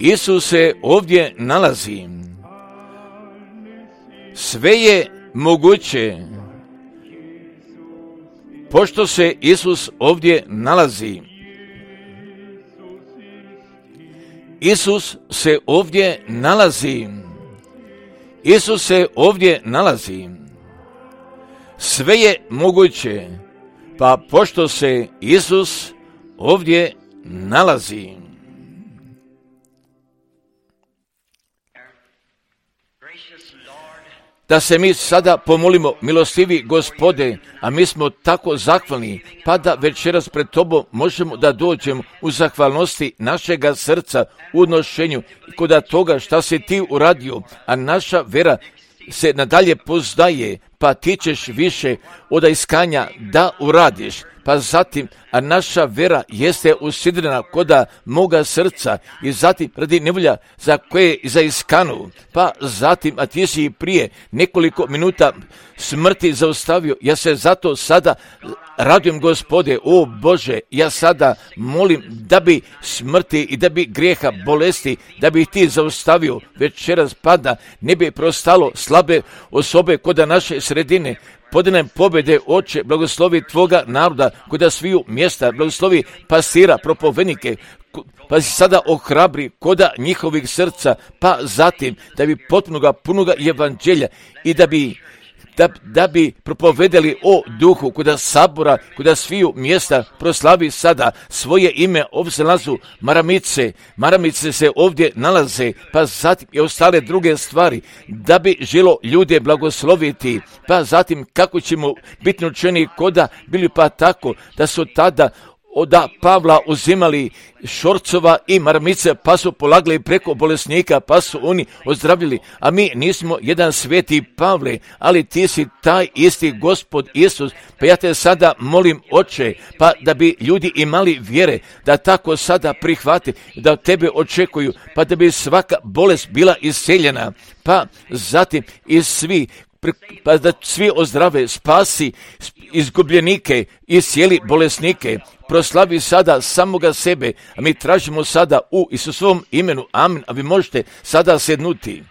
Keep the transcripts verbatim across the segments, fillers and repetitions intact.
Isus se ovdje nalazi. Sve je moguće, pošto se Isus ovdje nalazi. Isus se ovdje nalazi. Isus se ovdje nalazi. Sve je moguće, pa pošto se Isus ovdje nalazi. Da se mi sada pomolimo, milostivi Gospode, a mi smo tako zahvalni, pa da večeras pred Tobom možemo da dođemo u zahvalnosti našega srca, u odnošenju kod toga šta si Ti uradio, a naša vera se nadalje poznaje, pa Ti ćeš više od iskanja da uradiš. Pa zatim, a naša vera jeste usidrena koda moga srca i zatim radi nevolja za koje za iskanu. Pa zatim, a Ti si prije nekoliko minuta smrti zaustavio, ja se zato sada radujem, Gospode, o Bože, ja sada molim da bi smrti i da bi grijeha, bolesti, da bi Ti zaustavio večeras, pada, ne bi prostalo slabe osobe koda naše sredine. Podinem pobjede, Oče, blagoslovi Tvoga naroda, koda sviju mjesta, blagoslovi pasira, propovednike, pa si sada ohrabri koda njihovih srca, pa zatim da bi potpunoga, punoga evanđelja i da bi Da, da bi propovedali o duhu koda sabora, koda sviju mjesta proslavi sada svoje ime. Ovdje se nalazu maramice, maramice se ovdje nalaze, pa zatim i ostale druge stvari, da bi želo ljude blagosloviti, pa zatim kako ćemo biti učeni koda bili, pa tako da su tada od Pavla uzimali šorcova i maramice, pa su polagali preko bolesnika, pa su oni ozdravili. A mi nismo jedan sveti Pavle, ali Ti si taj isti Gospod Isus. Pa ja Te sada molim, Oče, pa da bi ljudi imali vjere, da tako sada prihvate, da od Tebe očekuju, pa da bi svaka bolest bila isceljena. Pa zatim i svi, pa da svi ozdrave, spasi izgubljenike i cijeli bolesnike. Proslavi sada samoga sebe, a mi tražimo sada u Isusovom imenu. Amin. A vi možete sada sednuti.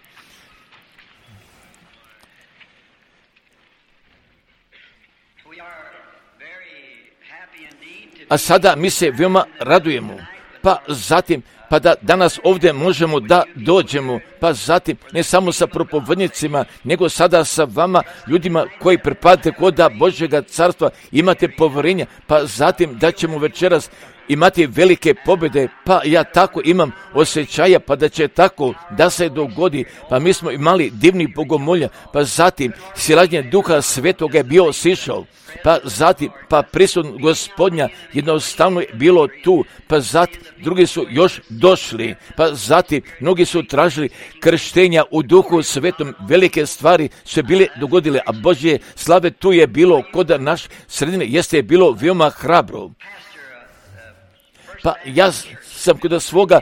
A sada mi se veoma radujemo. Pa zatim, pa da danas ovdje možemo da dođemo, pa zatim ne samo sa propovednicima, nego sada sa vama, ljudima koji pripadate koda Božjega carstva, imate povjerenja, pa zatim da ćemo večeras imati velike pobjede, pa ja tako imam osjećaja, pa da će tako da se dogodi, pa mi smo imali divni bogomolja, pa zatim silađenje Duha Svetoga je bio sišao, pa zatim, pa prisutno Gospodnja jednostavno je bilo tu, pa zatim drugi su još došli, pa zatim mnogi su tražili krštenja u Duhu Svetom, velike stvari su bile dogodile, a Božje slave tu je bilo koda naš sredine jeste bilo veoma hrabro. Pa ja sam kod svoga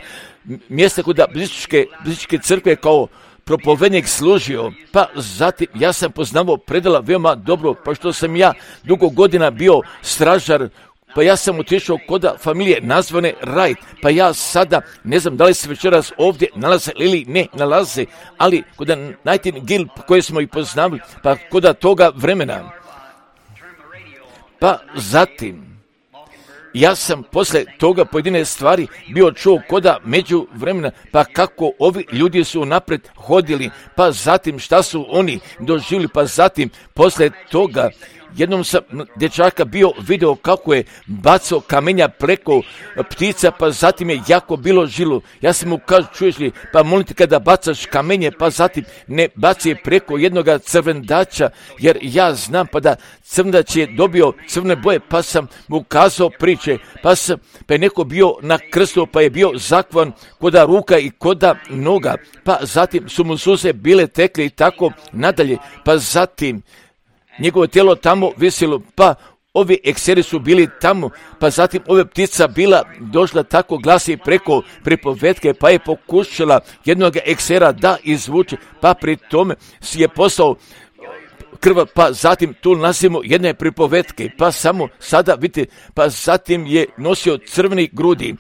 mjesta, kod blizičke, blizičke crkve kao propovednik služio, pa zatim ja sam poznavao predala veoma dobro, pa što sam ja dugo godina bio stražar, pa ja sam otišao koda familije nazvane Wright, pa ja sada ne znam da li se večeras ovdje nalaze ili ne nalaze, ali koda Nightingale koje smo i poznavali, pa koda toga vremena, pa zatim ja sam posle toga pojedine stvari bio čuo koda među vremena, pa kako ovi ljudi su napred hodili, pa zatim šta su oni doživjeli, pa zatim posle toga jednom sam dječaka bio video kako je bacao kamenja preko ptica, pa zatim je jako bilo žilo. Ja sam mu kažu, čuješ li, pa molim te kada bacaš kamenje, pa zatim ne baci preko jednoga crvendača, jer ja znam pa da crvendač je dobio crvene boje, pa sam mu kazao priče, pa, sam, pa je neko bio na krstu, pa je bio zakvan koda ruka i koda noga, pa zatim su mu suze bile tekle i tako nadalje, pa zatim njegovo tijelo tamo visilo, pa ovi ekseri su bili tamo, pa zatim ove ptica bila došla tako glasi preko pripovetke, pa je pokušala jednog eksera da izvuče, pa pri tome si je poslao krv, pa zatim tu nalazimo jedne pripovetke, pa samo sada, vidite, pa zatim je nosio crveni grudi,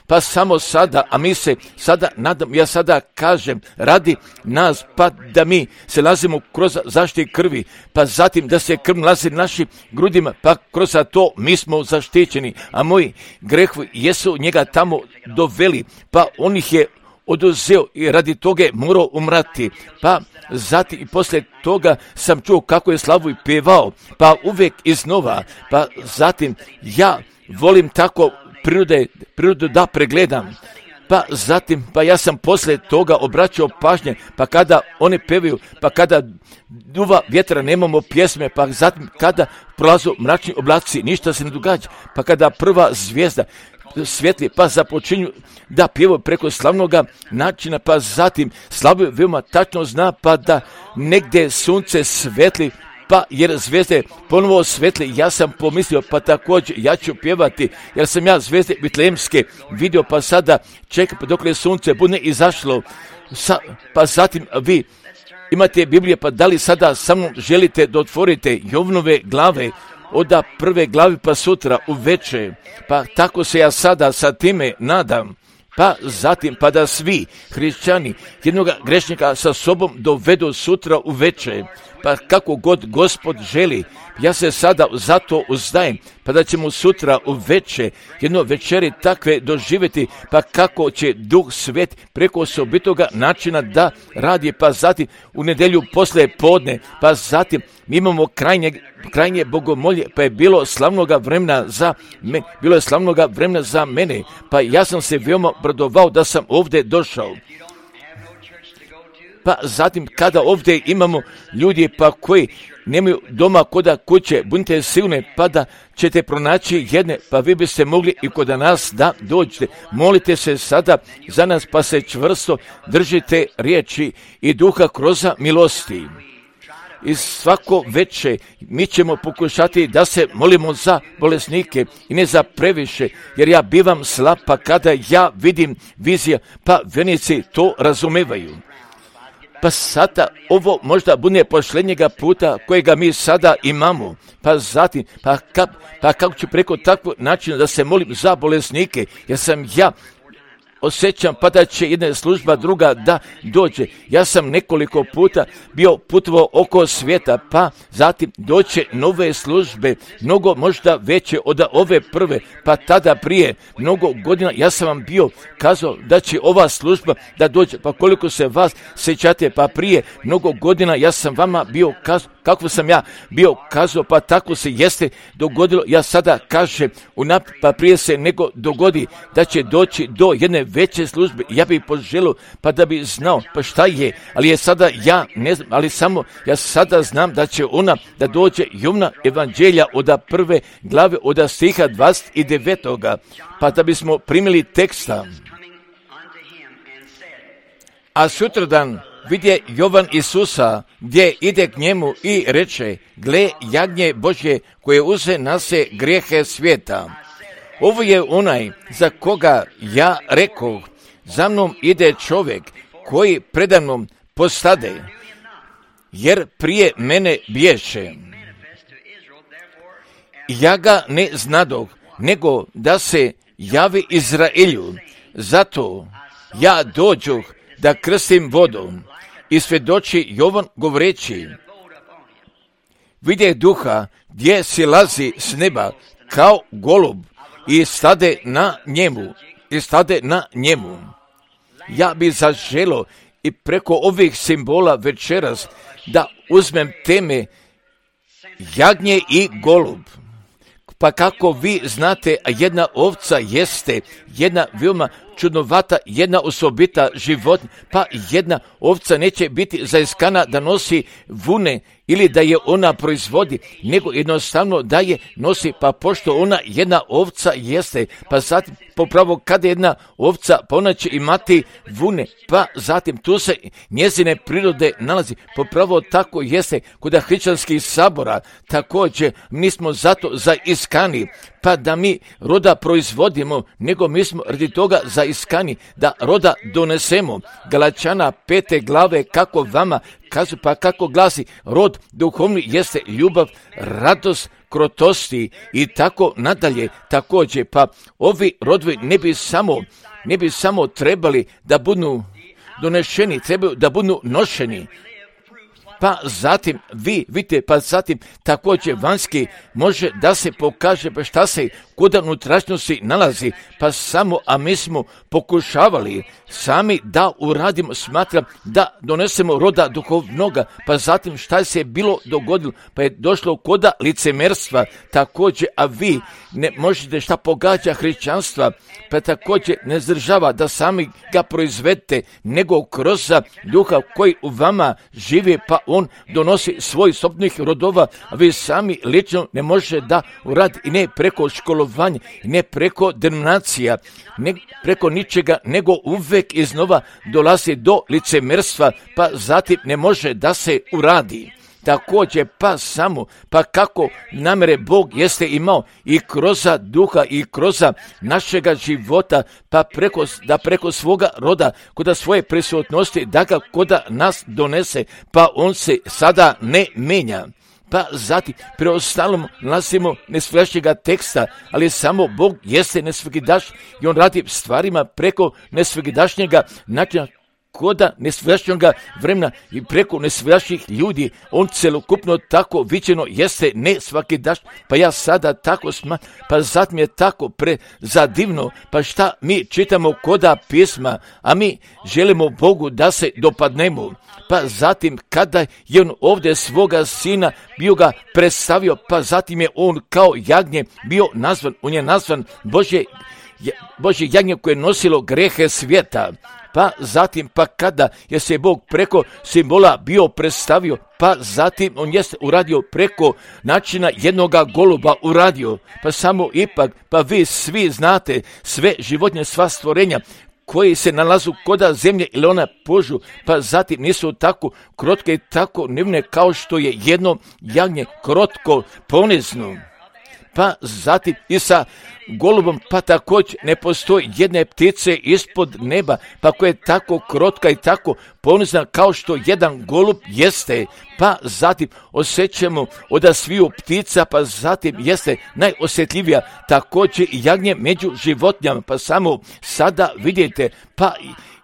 pa samo sada, a mi se sada nadam, ja sada kažem, radi nas, pa da mi se nalazimo kroz zaštiti krvi, pa zatim da se krv nalazi našim grudima, pa kroz to mi smo zaštićeni, a moji grehovi jesu njega tamo doveli, pa on ih je oduzeo i radi toga je morao umrati. Pa zatim i poslije toga sam čuo kako je slavu i pevao, pa uvijek iznova, pa zatim ja volim tako prirode, prirodu da pregledam. Pa zatim, pa ja sam poslije toga obraćao pažnje, pa kada one pevaju, pa kada duva vjetra nemamo pjesme, pa zatim kada prolazu mračni oblaci, ništa se ne događa, pa kada prva zvijezda svijetli, pa započinju da pjevaju preko slavnoga načina, pa zatim slavu veoma tačno zna, pa da negdje sunce svetli, pa jer zvijezde ponovo svetli, ja sam pomislio, pa također ja ću pjevati, jer sam ja zvijezde Vitlejemske vidio, pa sada čekam pa dok je sunce bude izašlo, Sa, pa zatim vi imate Biblije, pa da li sada sa mnom želite da otvorite Jovnove glave, od prve glavi pa sutra uveče, pa tako se ja sada sa time nadam, pa zatim pa da svi hrišćani jednog grešnika sa sobom dovedu sutra uveče, pa kako god Gospod želi, ja se sada zato uzdajem, pa da ćemo sutra uveče jedno večeri takve doživjeti, pa kako će Duh Svet preko osobitoga načina da radi, pa zatim u nedjelju poslije podne, pa zatim mi imamo krajnje, krajnje bogomolje, pa je bilo slavnoga vremena za me, bilo je slavnoga vremena za mene, pa ja sam se veoma bradovao da sam ovdje došao. Pa zatim kada ovdje imamo ljudi pa koji nemaju doma koda kuće, budite sigurni pa da ćete pronaći jedne, pa vi biste mogli i kod nas da dođete. Molite se sada za nas, pa se čvrsto držite riječi i duha kroz milosti. I svako veče mi ćemo pokušati da se molimo za bolesnike i ne za previše, jer ja bivam slab, pa kada ja vidim vizija, pa vjernici to razumevaju. Pa sada ovo možda bude posljednjega puta kojega mi sada imamo. Pa zatim, pa, ka, pa kako ću preko takvog načina da se molim za bolesnike, jer sam ja osjećam pa da će jedna služba druga da dođe. Ja sam nekoliko puta bio putovao oko svijeta, pa zatim doće nove službe, mnogo možda veće od ove prve, pa tada prije mnogo godina ja sam vam bio kazao da će ova služba da dođe, pa koliko se vas sjećate, pa prije mnogo godina ja sam vama bio kazao, kako sam ja bio kazao, pa tako se jeste dogodilo, ja sada kažem unaprijed, pa prije se nego dogodi da će doći do jedne veće službe, ja bih poželio pa da bi znao pa šta je, ali je sada ja ne znam, ali samo ja sada znam da će ona da dođe Jovna evanđelja od prve glave od stiha dvadeset devetog pa da bismo primili teksta. A sutradan vidje Jovan Isusa gdje ide k njemu i reče: gle, jagnje Božje koje uze na se grijehe svijeta. Ovo je onaj za koga ja rekoh, za mnom ide čovjek koji predamnom postade, jer prije mene bješe. Ja ga ne znadoh, nego da se javi Izraelju, zato ja dođoh da krstim vodom. I svjedoči Jovan govoreći: vidje duha gdje silazi s neba kao golub i stade na njemu, i stade na njemu. Ja bi zaželo i preko ovih simbola večeras da uzmem teme jagnje i golub. Pa kako vi znate, jedna ovca jeste jedna veoma čudnovata, jedna osobita životinja, pa jedna ovca neće biti zaiskana da nosi vune ili da je ona proizvodi, nego jednostavno da je nosi, pa pošto ona jedna ovca jeste, pa zatim popravo kada jedna ovca, pa ona će imati vune, pa zatim tu se njezine prirode nalazi, popravo tako jeste kod hrišćanskih sabora, također mi smo zato zaiskani, pa da mi roda proizvodimo, nego mi smo radi toga zaiskani da roda donesemo. Galačana pete glave kako vama kažu, pa kako glasi, rod duhovni jeste ljubav, radost, krotosti i tako nadalje. Također, pa ovi rodovi ne bi samo, ne bi samo trebali da budu donešeni, trebaju da budu nošeni. Pa zatim vi vidite, pa zatim također vanjski može da se pokaže pa šta se kod unutrašnjosti nalazi, pa samo, a mi smo pokušavali sami da uradimo, smatram da donesemo roda duhovnoga, pa zatim šta se je bilo dogodilo, pa je došlo koda licemerstva također, a vi ne možete šta pogađa hrišćanstva, pa također ne zdržava da sami ga proizvedete, nego kroz duha koji u vama živi, pa on donosi svoj sobnih rodova, a vi sami lično ne možete da uradi i ne preko školovanja, i ne preko denominacija, ne preko ničega, nego uvek iznova dolazi do licemerstva, pa zatim ne može da se uradi. Također, pa samo, pa kako namere Bog jeste imao i kroz duha i kroz našega života, pa preko, da preko svoga roda, kod svoje prisutnosti, da ga kod nas donese, pa on se sada ne menja. Pa zatim, preostalom nalazimo nesvježnjega teksta, ali samo Bog jeste nesvjegidaš i on radi stvarima preko nesvjegidašnjega načina, koda nesvježnjega vremena i preko nesvježnjih ljudi. On celokupno tako viđeno jeste nesvakidaš, pa ja sada tako sma, pa zatim je tako prezadivno, pa šta mi čitamo koda pisma, a mi želimo Bogu da se dopadnemo. Pa zatim kada je on ovdje svoga sina bio ga predstavio, pa zatim je on kao jagnje bio nazvan, on je nazvan Božje, Božje jagnje koje je nosilo grehe svijeta. Pa zatim, pa kada je se Bog preko simbola bio predstavio, pa zatim on jeste uradio preko načina jednoga goluba uradio, pa samo ipak, pa vi svi znate sve životinje, sva stvorenja koji se nalazu koda zemlje ili ona požu, pa zatim nisu tako krotke i tako nevne kao što je jedno jagnje krotko, ponizno. Pa zatim i sa golubom, pa također ne postoji jedne ptice ispod neba, pa koja je tako krotka i tako ponizna kao što jedan golub jeste. Pa zatim osjećamo od sviju ptica, pa zatim jeste najosjetljivija također i jagnje među životinjama, pa samo sada vidite, pa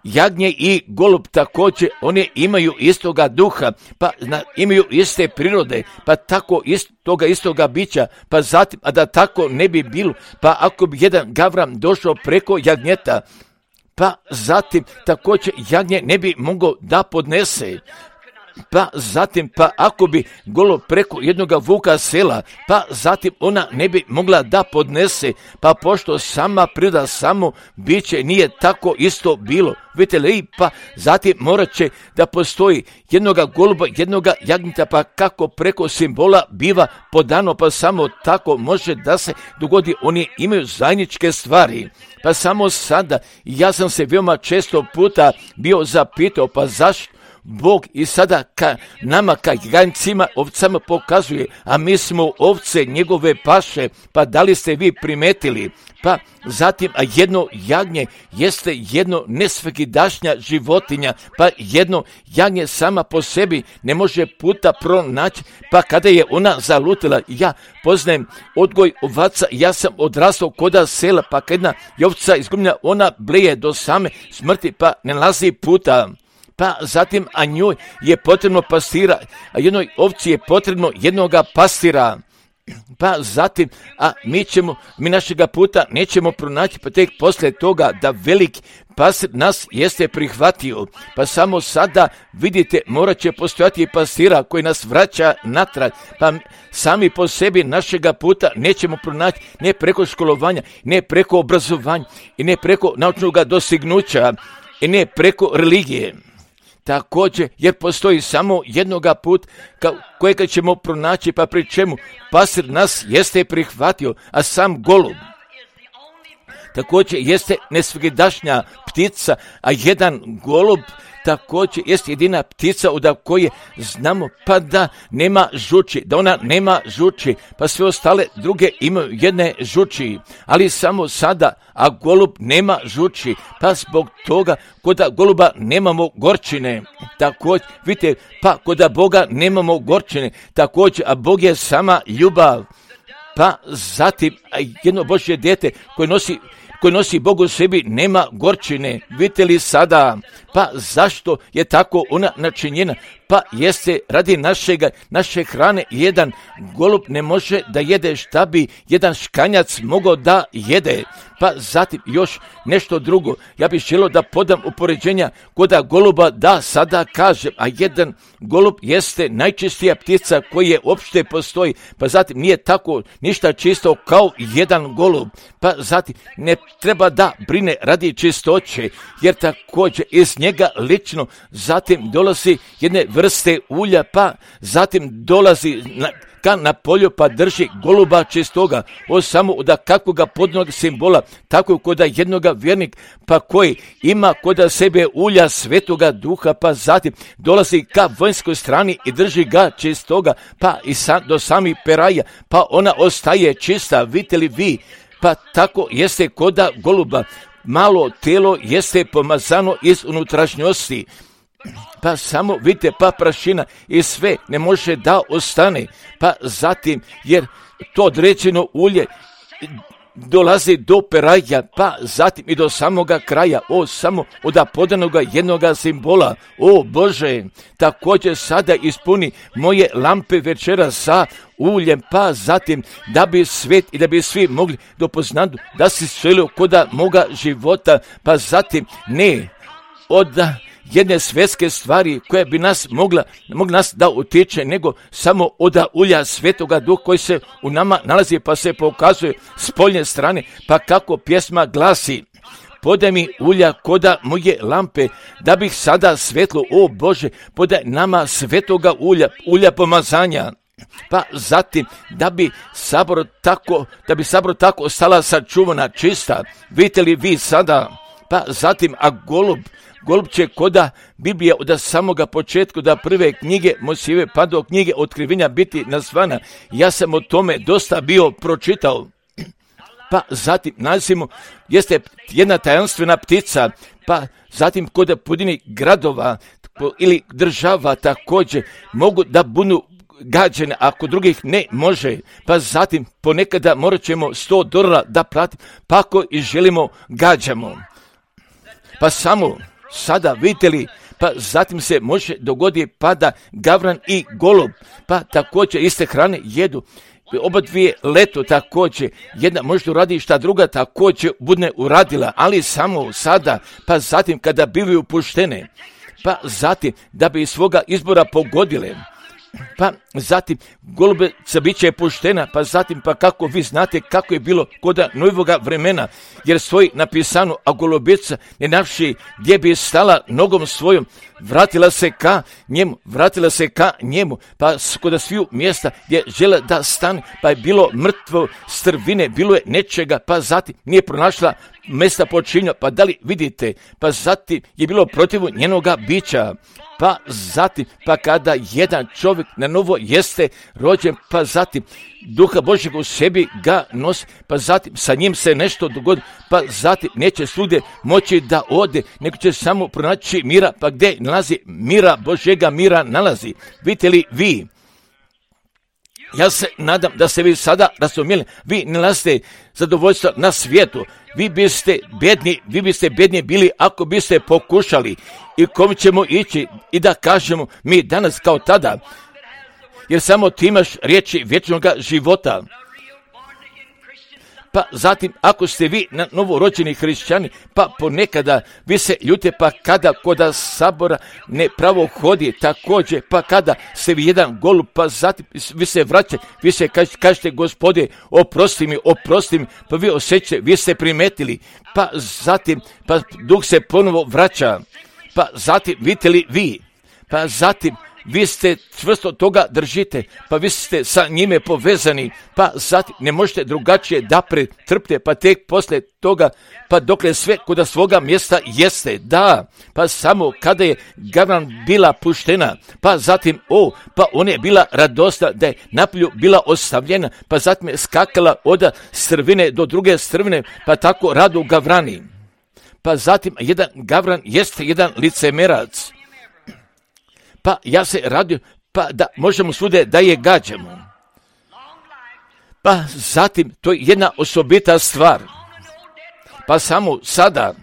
jagnje i golub također, oni imaju istoga duha, pa na, imaju iste prirode, pa tako istoga istoga bića, pa zatim, a da tako ne bi bilo, pa ako bi jedan gavran došao preko jagnjeta, pa zatim također jagnje ne bi mogao da podnese. Pa zatim, pa ako bi golo preko jednoga vuka sela, pa zatim ona ne bi mogla da podnese, pa pošto sama priroda, samo biće nije tako isto bilo. Vidite li, pa zatim morat će da postoji jednoga goluba, jednoga jagnjeta, pa kako preko simbola biva podano, pa samo tako može da se dogodi, oni imaju zajedničke stvari. Pa samo sada, ja sam se veoma često puta bio zapitao, pa zašto Bog i sada ka nama, ka jagnjcima, ovcama pokazuje, a mi smo ovce njegove paše, pa da li ste vi primetili? Pa zatim, a jedno jagnje jeste jedno nesvakidašnja životinja, pa jedno jagnje sama po sebi ne može puta pronaći, pa kada je ona zalutila, ja poznajem odgoj ovaca, ja sam odrastao koda sela, pa kad jedna ovca izgubljena, ona bleje do same smrti, pa ne nalazi puta. Pa zatim, a njoj je potrebno pastira, a jednoj ovci je potrebno jednoga pastira. Pa zatim, a mi ćemo, mi našega puta nećemo pronaći, pa tek poslije toga da veliki pastir nas jeste prihvatio. Pa samo sada vidite, morat će postojati i pastira koji nas vraća natrag, pa sami po sebi našega puta nećemo pronaći, ne preko školovanja, ne preko obrazovanja i ne preko naučnog dostignuća i ne preko religije. Također, jer postoji samo jednoga put kojega ćemo pronaći, pa pri čemu pastir nas jeste prihvatio, a sam golub također jeste nesvagdašnja ptica, a jedan golub također jest jedina ptica od koje znamo pa da nema žuči, da ona nema žuči, pa sve ostale druge imaju jedne žuči, ali samo sada, a golub nema žuči, pa zbog toga kod goluba nemamo gorčine, također, vidite, pa kod Boga nemamo gorčine, također, a Bog je sama ljubav, pa zatim jedno Božje dijete koje nosi koji nosi Bog u sebi nema gorčine. Vidite li sada? Pa zašto je tako ona načinjena? Pa jeste radi našega, naše hrane jedan golub ne može da jede šta bi jedan škanjac mogao da jede. Pa zatim još nešto drugo. Ja bih želio da podam upoređenja koda goluba da sada kažem, a jedan golub jeste najčistija ptica koji je uopšte postoji. Pa zatim nije tako ništa čisto kao jedan golub. Pa zatim ne treba da brine radi čistoće, jer također iz njega lično zatim dolazi jedne vrste ulja, pa zatim dolazi na, ka na polju pa drži goluba čistoga, o samo od kakvoga podnog simbola, tako kod jednoga vjernik, pa koji ima kod sebe ulja svetoga duha, pa zatim dolazi ka vanjskoj strani i drži ga čistoga, pa i sa, do samih peraja, pa ona ostaje čista, vidite li vi, pa tako jeste kod goluba, malo telo jeste pomazano iz unutrašnjosti, pa samo vidite, pa prašina i sve ne može da ostane, pa zatim, jer to određeno ulje dolazi do peraja, pa zatim i do samoga kraja, o samo od podanoga jednoga simbola, o Bože, također sada ispuni moje lampe večera sa uljem, pa zatim da bi svet i da bi svi mogli dopoznati da si želio koda moga života, pa zatim ne od jedne svjetske stvari koja bi nas mogla, mogla nas da utiče, nego samo od ulja svetoga duha koji se u nama nalazi, pa se pokazuje s poljne strane, pa kako pjesma glasi: podaj mi ulja koda moje lampe, da bih sada svetlo, o Bože, podaj nama svetoga ulja, ulja pomazanja. Pa zatim, da bi sabor tako, da bi sabor tako ostala sačuvana, čista, vidite li vi sada? Pa zatim, a golub, golub će koda Biblija od samoga početka da prve knjige Mojsijeve pa do knjige Otkrivenja biti nazvana. Ja sam o tome dosta bio pročitao. Pa zatim nazimo, jeste jedna tajanstvena ptica, pa zatim kod pojedini gradova ili država također mogu da budu gađene, ako drugih ne može, pa zatim ponekada morat ćemo sto dolara da platimo, pa ako i želimo gađamo. Pa samo sada vidite li, pa zatim se može dogoditi pada gavran i golub, pa također iste hrane jedu. Oba dvije leto također, jedna možda uradi šta druga također bude uradila, ali samo sada, pa zatim kada bivaju puštene, pa zatim da bi svoga izbora pogodile. Pa zatim golubica bit će puštena, pa zatim pa kako vi znate kako je bilo kod novoga vremena, jer stoji napisano, a golubica ne navši gdje bi stala nogom svojom, vratila se ka njemu, vratila se ka njemu, pa kod sviju mjesta gdje žele da stane, pa je bilo mrtvo strvine, bilo je nečega, pa zatim nije pronašla mjesta počinja, pa da li vidite, pa zatim je bilo protiv njenoga bića. Pa zatim, pa kada jedan čovjek na novo jeste rođen, pa zatim Duha Božjeg u sebi ga nosi, pa zatim sa njim se nešto dogodi, pa zatim neće svugdje moći da ode, nego će samo pronaći mira, pa gdje nalazi mira, Božjega mira nalazi. Vidite li vi? Ja se nadam da ste vi sada razumjeli, vi ne nalazite zadovoljstvo na svijetu, vi biste bedni, vi biste bedni bili ako biste pokušali i kom ćemo ići i da kažemo mi danas kao tada, jer samo ti imaš riječi vječnog života. Pa zatim, ako ste vi na novorođeni hrišćani, pa ponekada vi se ljute, pa kada koda sabora ne pravo hodi, također, pa kada ste vi jedan golub, pa zatim vi se vraćate, vi se kažete, kažete Gospode, oprosti mi, oprosti mi, pa vi osjećate, vi ste primetili, pa zatim, pa duh se ponovo vraća, pa zatim, vidite li vi, pa zatim, vi ste čvrsto toga držite, pa vi ste sa njime povezani, pa zatim ne možete drugačije da pretrpite, pa tek poslije toga, pa dokle sve kod svoga mjesta jeste, da, pa samo kada je gavran bila puštena, pa zatim, o, pa ona je bila radosna da je napolju bila ostavljena, pa zatim je skakala od strvine do druge strvine, pa tako radu gavrani. Pa zatim jedan gavran jeste jedan licemerac. Pa ja se radio, pa da možemo svude da je gađamo. Pa zatim, to je jedna osobita stvar. Pa samo sada,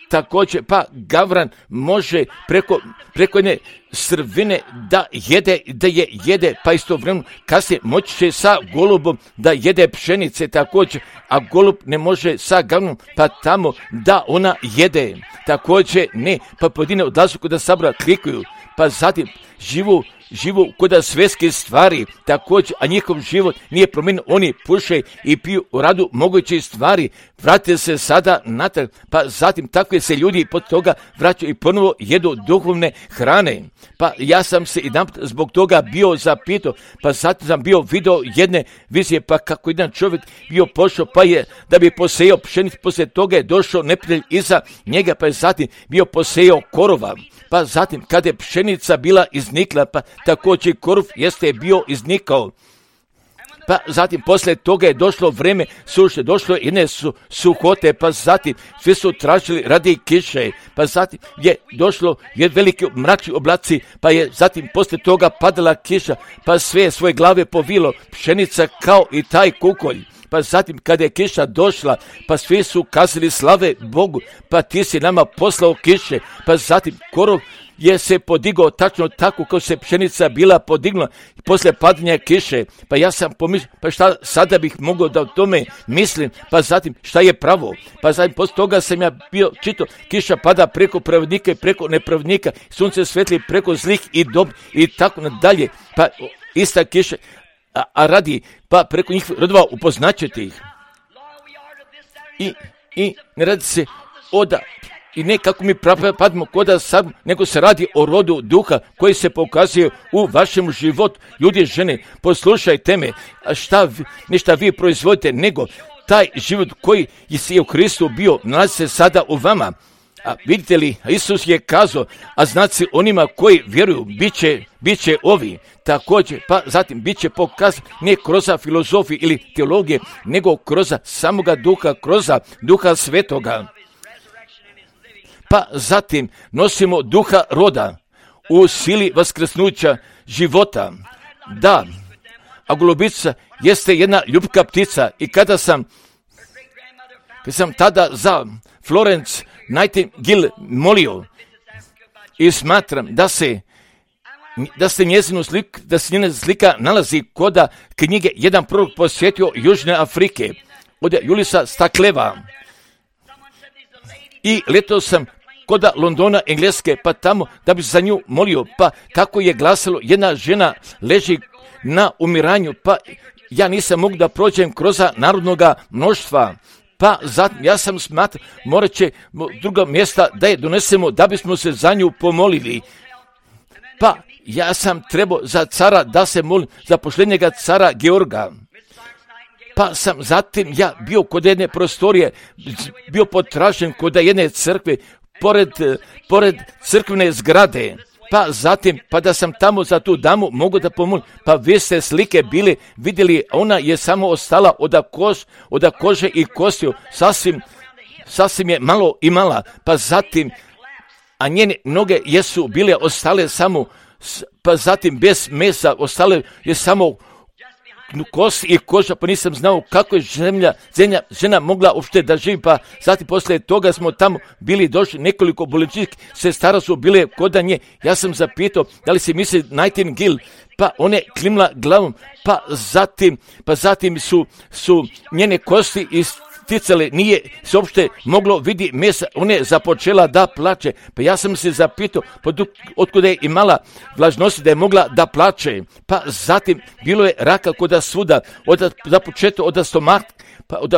također, pa gavran može preko, preko jedne strvine da jede, da je jede, pa istovremeno kasnije moći će sa golubom da jede pšenice također, a golub ne može sa gavranom, pa tamo da ona jede. Također ne, pa pojedine odlazu kod sabora klikuju, pa zatim živu, živu kod svjetske stvari, također, a njihov život nije promijenjen, oni puše i piju u radu moguće stvari, vrate se sada natrag, pa zatim takve se ljudi pod toga vraćaju i ponovo jedu duhovne hrane. Pa ja sam se jedan zbog toga bio zapitao, pa zatim sam bio video jedne vizije, pa kako jedan čovjek bio pošao, pa je da bi posejao pšenicu, poslije toga je došao neprijatelj iza njega, pa je zatim bio posejao korova. Pa zatim, kada je pšenica bila iznikla, pa također korov jeste bio iznikao. Pa zatim, poslije toga je došlo vreme suše, došlo je jedne su, suhote, pa zatim svi su tražili radi kiše, pa zatim je došlo je veliki mračni oblaci, pa je zatim poslije toga padala kiša, pa sve svoje glave povilo, pšenica kao i taj kukolj. Pa zatim kada je kiša došla, pa svi su kazali slave Bogu, pa ti si nama poslao kiše, pa zatim korov je se podigao tačno tako kao se pšenica bila podignula poslije padanja kiše. Pa ja sam pomislio, pa šta sada bih mogao da o tome mislim, pa zatim šta je pravo. Pa zatim poslije toga sam ja bio čito, kiša pada preko pravednika i preko nepravednika, sunce svetli preko zlih i dob i tako nadalje. Pa ista kiša, a, a radi, pa preko njih rodova upoznaćete ih. I, i ne radi se oda, i ne kako mi padimo koda sad, nego se radi o rodu duha koji se pokazuje u vašem životu. Ljudi, žene, poslušajte me, a šta, ne šta vi proizvodite, nego taj život koji je u Kristu bio, nalazi se sada u vama. A vidite li, Isus je kazao, a znaci onima koji vjeruju, bit će, bit će ovi. Također, pa zatim bit će pokazan ne kroz filozofiju ili teologije, nego kroz samoga duha, kroz duha svetoga. Pa zatim nosimo duha roda u sili vaskrsnuća života. Da, a golubica jeste jedna ljubka ptica i kada sam, kada sam tada za Florence Nightingale molio i smatram da se da se njezinu slik, da se njena slika nalazi kod knjige jedan prorok posjetio Južne Afrike od Julisa Stakleva. I letao sam kod Londona, Engleske, pa tamo da bi se za nju molio, pa kako je glasalo, jedna žena leži na umiranju, pa ja nisam mogu da prođem kroz narodnoga mnoštva. Pa zatim ja sam smatrao, morat će druga mjesta da je donesemo da bismo se za nju pomolili. Pa ja sam trebao za cara da se molim, za pošljenjega cara Georga. Pa sam zatim ja bio kod jedne prostorije, bio potražen kod jedne crkve, pored, pored crkvene zgrade. Pa zatim, pa da sam tamo za tu damu mogu da pomolim, pa vi ste slike bili, vidjeli, ona je samo ostala od, kož, od kože i kostiju, sasvim, sasvim je malo imala, pa zatim, a njene noge jesu bile ostale samo, pa zatim bez mesa, ostale je samo kost i koža, pa nisam znao kako je zemlja, zemlja, žena mogla uopšte da živi, pa zatim poslije toga smo tamo bili došli, nekoliko bolničkih sestara su bile kod nje, ja sam zapitao da li se misli Nightingale, pa one klimla glavom, pa zatim, pa zatim su, su njene kosti isticale, nije se uopšte moglo vidi mesa, ona je započela da plače, pa ja sam se zapitao otkuda je imala vlažnosti da je mogla da plače, pa zatim bilo je raka koda svuda, od započeto od stomaka, pa od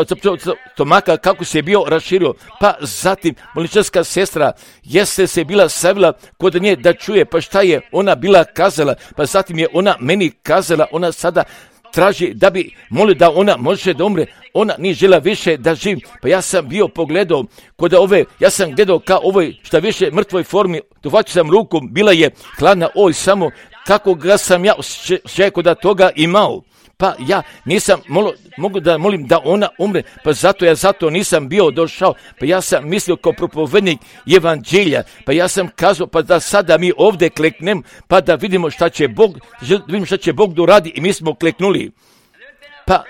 stomaka kako se je bio raširio, pa zatim bolničarska sestra jeste se bila savila kod nje da čuje, pa šta je ona bila kazala, pa zatim je ona meni kazala, ona sada traži da bi molio da ona može da umre, ona nije žela više da živi, pa ja sam bio pogledao kod ove, ja sam gledao kao ovoj šta više mrtvoj formi, dohvatio sam ruku, bila je hladna, oj samo kako ga sam ja šeko da toga imao. Pa ja nisam molo, mogu da molim da ona umre, pa zato ja zato nisam bio došao, pa ja sam mislio kao propovednik evanđelja, pa ja sam kazao pa da sada mi ovdje kleknem, pa da vidimo šta će Bog, vidimo šta će Bog doradi i mi smo kleknuli. Pa,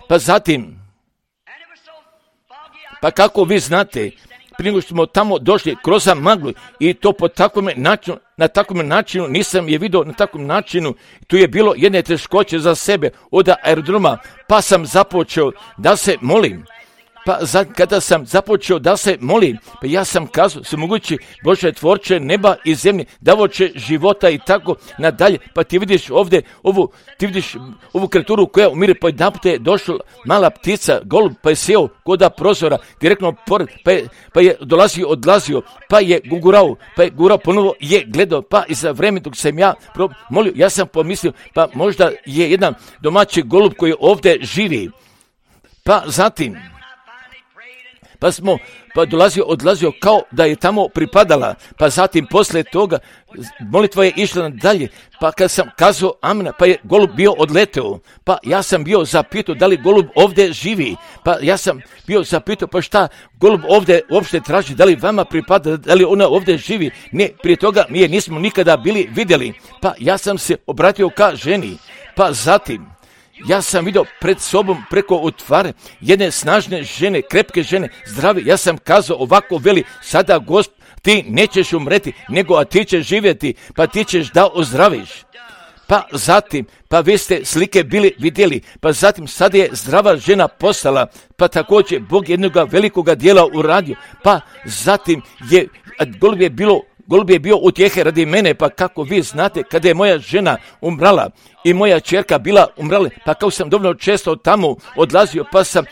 pa zatim, pa kako vi znate, prije nego što smo tamo došli kroz maglu i to po takvom načinu, na takvom načinu, nisam je vidio na takvom načinu, tu je bilo jedne teškoće za sebe od aerodroma, pa sam započeo da se molim. Pa za, kada sam započeo da se molim, pa ja sam kazao, se mogući Bože tvorče neba i zemlje, davoče života i tako nadalje, pa ti vidiš ovdje ovu, ti vidiš ovu kreaturu koja umire, pa jedan put je došla mala ptica, golub, pa je sjeo koda prozora, direktno pored, pa je, pa je dolazio, odlazio, pa je gugurao, pa je gurao, ponovo je gledao, pa i za vreme dok sam ja pro, molio, ja sam pomislio, pa možda je jedan domaći golub koji ovdje živi, pa zatim, pa smo, pa dolazio, odlazio kao da je tamo pripadala, pa zatim poslije toga molitva je išla dalje, pa kad sam kazao amena, pa je golub bio odleteo, pa ja sam bio zapitao da li golub ovdje živi, pa ja sam bio zapitao pa šta golub ovdje uopšte traži, da li vama pripada, da li ona ovdje živi, ne, prije toga mi je nismo nikada bili vidjeli, pa ja sam se obratio ka ženi, pa zatim, ja sam vidio pred sobom preko otvare jedne snažne žene, krepke žene, zdrave. Ja sam kazao ovako veli, sada Gospod, ti nećeš umreti, nego a ti ćeš živjeti, pa ti ćeš da ozdraviš. Pa zatim, pa vi ste slike bili vidjeli, pa zatim sad je zdrava žena postala, pa također Bog jednoga velikoga dijela uradio, pa zatim je, golub je bilo Golub je bio utjehe radi mene, pa kako vi znate, kada je moja žena umrala i moja čerka bila umrala, pa kako sam dovoljno često tamo odlazio, pa sam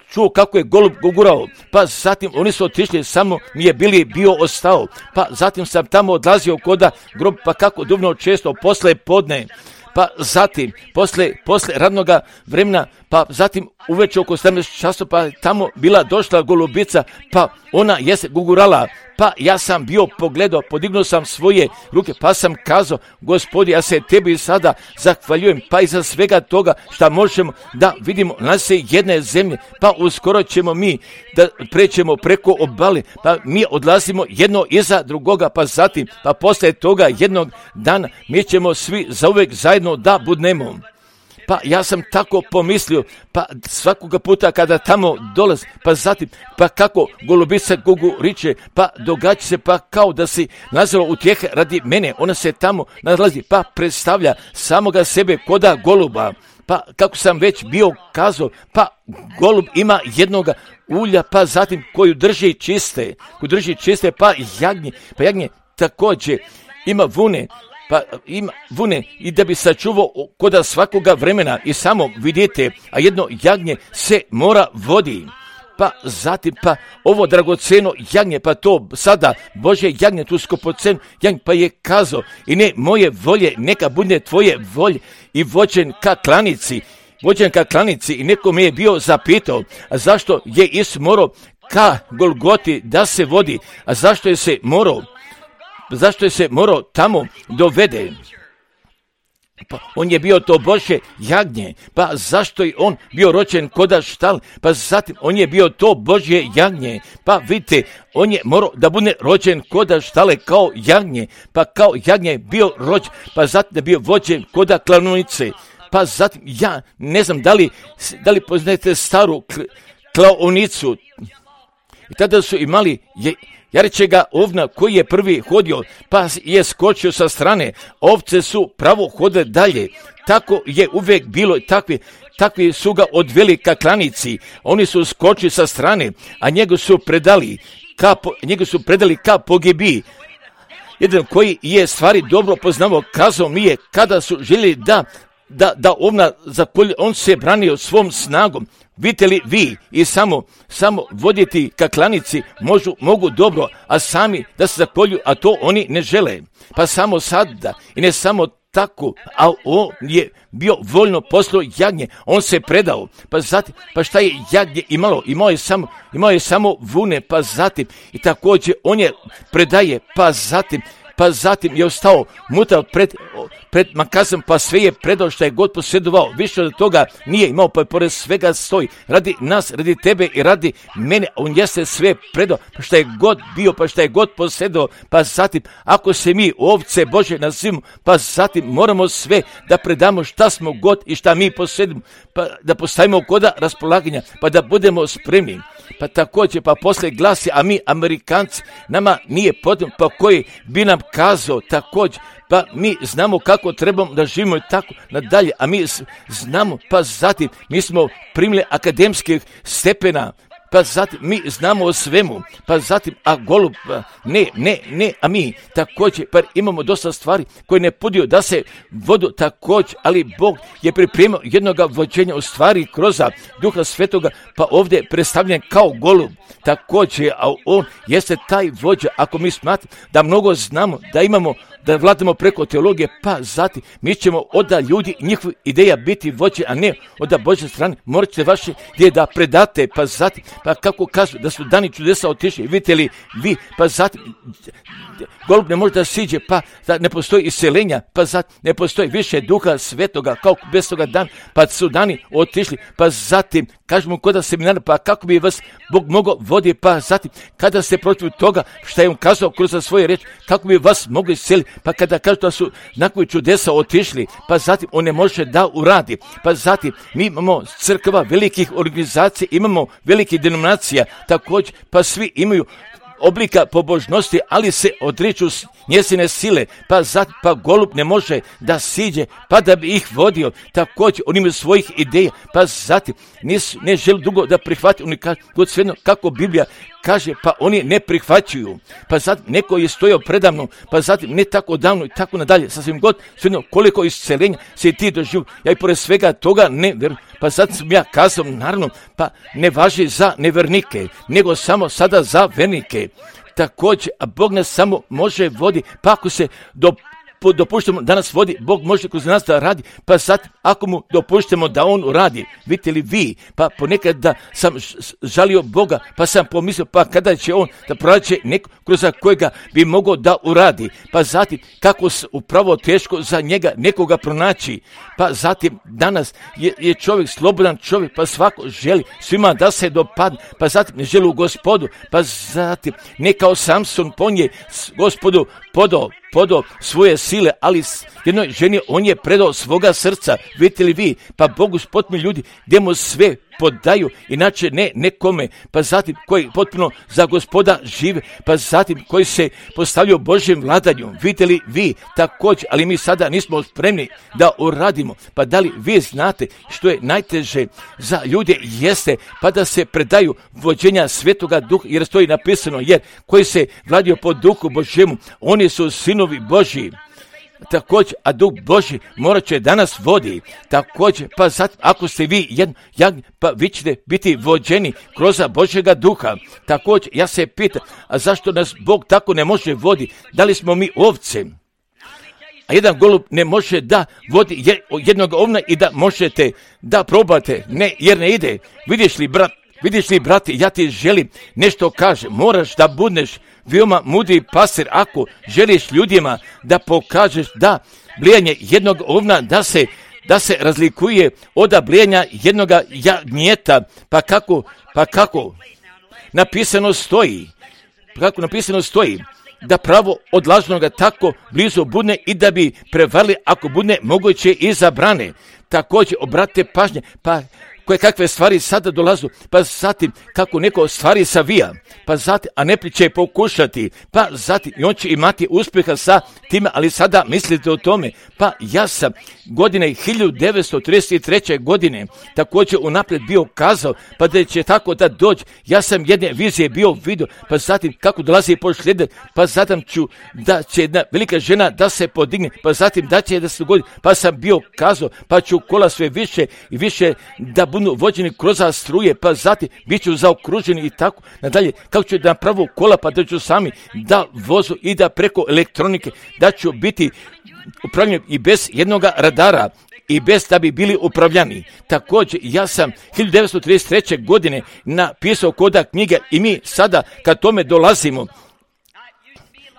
čuo kako je golub gugurao, pa zatim oni su otišli, samo mi je bili bio ostao, pa zatim sam tamo odlazio koda grob, pa kako dovoljno često posle podne, pa zatim, posle, posle radnoga vremena, pa zatim uveče oko sedamnaest časova, pa tamo bila došla golubica, pa ona je se gugurala, pa ja sam bio pogledao, podignuo sam svoje ruke, pa sam kazao, Gospodi, ja se tebi sada zahvaljujem, pa iza svega toga što možemo da vidimo nas jedne zemlje, pa uskoro ćemo mi da prećemo preko obale, pa mi odlazimo jedno iza drugoga, pa zatim, pa poslije toga jednog dana mi ćemo svi zauvek zajedno da budnemo. Pa ja sam tako pomislio, pa svakoga puta kada tamo dolazi, pa zatim, pa kako golubica guguriče, pa događa se pa kao da si nazvao utjehe radi mene, ona se tamo nalazi, pa predstavlja samoga sebe koda goluba, pa kako sam već bio kazao, pa golub ima jednoga ulja, pa zatim koju drži čiste, koju drži čiste, pa jagnje, pa jagnje također ima vune, pa ima vune i da bi sačuvao koda svakoga vremena i samo vidite, a jedno jagnje se mora vodi. Pa zatim, pa ovo dragoceno jagnje, pa to sada Božje jagnje, tu skupoceno jagnje, pa je kazao i ne moje volje, neka bude tvoje volje i vođen ka klanici, vođen ka klanici i neko me je bio zapitao, a zašto je Isus morao ka Golgoti da se vodi, a zašto je se morao Zašto je se morao tamo dovede? Pa on je bio to Božje jagnje, pa zašto je on bio rođen koda štal, pa zatim on je bio to Božje jagnje, pa vidite, on je morao da bude rođen koda štale kao jagnje, pa kao jagnje je bio rođen, pa zatim je bio vođen koda klaonice, pa zatim ja ne znam da li, da li poznajete staru klaonicu, i tada su imali je, jarećega ovna koji je prvi hodio, pa je skočio sa strane, ovce su pravo hodile dalje, tako je uvijek bilo, takvi, takvi su ga odveli ka klanici, oni su skočili sa strane, a njega su predali ka, njega su predali ka pogibiji. Jedan koji je stvari dobro poznavao, kazao mi je kada su željeli da da, da ovna zakolje, on se branio svom snagom. Vidite li vi i samo, samo voditi ka klanici možu, mogu dobro, a sami da se zakolju, a to oni ne žele. Pa samo sada i ne samo tako, a on je bio voljno poslao jagnje, on se predao, pa zatim, pa šta je jagnje imalo, imao je samo, imao je samo vune, pa zatim, i također on je predaje, pa zatim, pa zatim je ostao mutav pred, pred makazom, pa sve je predao što je god posjedovao, više od toga nije imao, pa pored svega stoji, radi nas, radi tebe i radi mene, on jeste sve predao, pa što je god bio, pa što je god posjedovao, pa zatim, ako se mi ovce Bože nazivamo, pa zatim moramo sve da predamo šta smo god i šta mi posjedimo, pa da postavimo koda raspolaganja, pa da budemo spremni. Pa također, pa posle glasi, a mi Amerikanci, nama nije potrebno, pa koji bi nam kazao također, pa mi znamo kako trebamo da živimo i tako nadalje, a mi znamo, pa zatim mi smo primili akademskih stepena, pa zatim mi znamo o svemu, pa zatim, a golub, ne, ne, ne, a mi također, pa imamo dosta stvari koje ne pudio da se vodu također, ali Bog je pripremio jednoga vođenja u stvari kroz Duha Svetoga, pa ovdje je predstavljen kao golub, također, a on jeste taj vođa, ako mi smatramo da mnogo znamo, da imamo, da vladamo preko teologije, pa zatim mi ćemo od ljudi njihove ideja biti vođe, a ne od Božje strane. Morat ćete vaše ideje da predate, pa zatim, pa kako kažu da su dani čudesa otišli, vidite li vi, pa zatim golub ne može da siđe, pa da ne postoji iseljenja, pa zatim ne postoji više Duha Svetoga kao bez toga dan, pa su dani otišli, pa zatim kažemo kod da seminara, pa kako bi vas Bog mogao voditi, pa zatim kada ste protiv toga što je on kazao kroz svoje reči, kako bi vas mogli iseliti, pa kada kažu da su nakon čudesa otišli, pa zatim on ne može da uradi, pa zatim mi imamo crkva velikih organizacija, imamo velikih denominacija, također, pa svi imaju oblika pobožnosti, ali se odriču njezine sile, pa zatim, pa golub ne može da siđe, pa da bi ih vodio, također on ima svojih ideja, pa zatim nis, ne želi dugo da prihvati, oni kažu, god svejedno kako Biblija kaže, pa oni ne prihvaćuju, pa zatim neko je stojao predavno, pa zatim ne tako davno i tako nadalje, sasvim god, svejedno koliko isceljenja se ti doživu, ja i pored svega toga ne verujem, pa sad sam ja kazao, naravno, pa ne važi za nevernike, nego samo sada za vernike. Također, a Bog nas samo može vodi, pa ako se do dopuštamo da nas vodi, Bog može kroz nas da radi, pa sad ako mu dopuštamo da on uradi, vidite li vi, pa ponekad da sam žalio Boga, pa sam pomislio, pa kada će on da pronaće neko kroz kojega bi mogao da uradi, pa zatim kako upravo teško za njega nekoga pronaći, pa zatim danas je, je čovjek slobodan čovjek, pa svako želi svima da se dopadne, pa zatim ne želi u Gospodu, pa zatim ne kao Samson ponje Gospodu podao, podao svoje sile, ali jednoj ženi on je predao svoga srca, vidite li vi, pa Bogu spotmi ljudi gdje mu sve podaju, inače ne nekome, pa zatim koji potpuno za Gospoda žive, pa zatim koji se postavljaju Božjem vladanju, vidite li vi također, ali mi sada nismo spremni da uradimo, pa da li vi znate što je najteže za ljude jeste, pa da se predaju vođenja Svetoga Duha, jer stoji napisano, jer koji se vladaju po Duhu Božjemu, oni su sinovi Božji. Također, a Duh Božji morat će da nas vodi. Također, pa zatim, ako ste vi jedan jagnje, pa vi ćete biti vođeni kroz Božjega Duha. Također, ja se pitam, a zašto nas Bog tako ne može vodi? Da li smo mi ovce? A jedan golub ne može da vodi jednog ovna i da možete da probate. Ne, jer ne ide. Vidiš li, brat, vidiš li, brate, ja ti želim nešto kaže. Moraš da budeš veoma mudri pastir ako želiš ljudima da pokažeš da blijanje jednog ovna da se da se razlikuje od blijanja jednog jagnjeta. Pa kako, pa kako napisano stoji, kako napisano stoji, da pravo od lažnoga tako blizu budne i da bi prevarili ako budne moguće i zabrane. Također, obratite pažnje, pa koje kakve stvari sada dolazu, pa zatim kako neko stvari savija, pa zatim, a ne će pokušati, pa zatim i on će imati uspjeha sa time, ali sada mislite o tome, pa ja sam godine hiljadu devetsto trideset treće godine također unaprijed bio kazao, pa da će tako da dođe, ja sam jedne vizije bio vidio, pa zatim kako dolazi posljednje, pa zatim ću da će jedna velika žena da se podigne, pa zatim da će da se dogodi, pa sam bio kazao, pa ću kola sve više i više da budu vođeni kroz struje, pa zatim bit ću zaokruženi i tako nadalje, kako ću da napravu kola, pa da ću sami da vozu i da preko elektronike, da ću biti upravljeni i bez jednog radara i bez da bi bili upravljani. Također, ja sam hiljadu devetsto trideset treće godine napisao koda knjige i mi sada kad tome dolazimo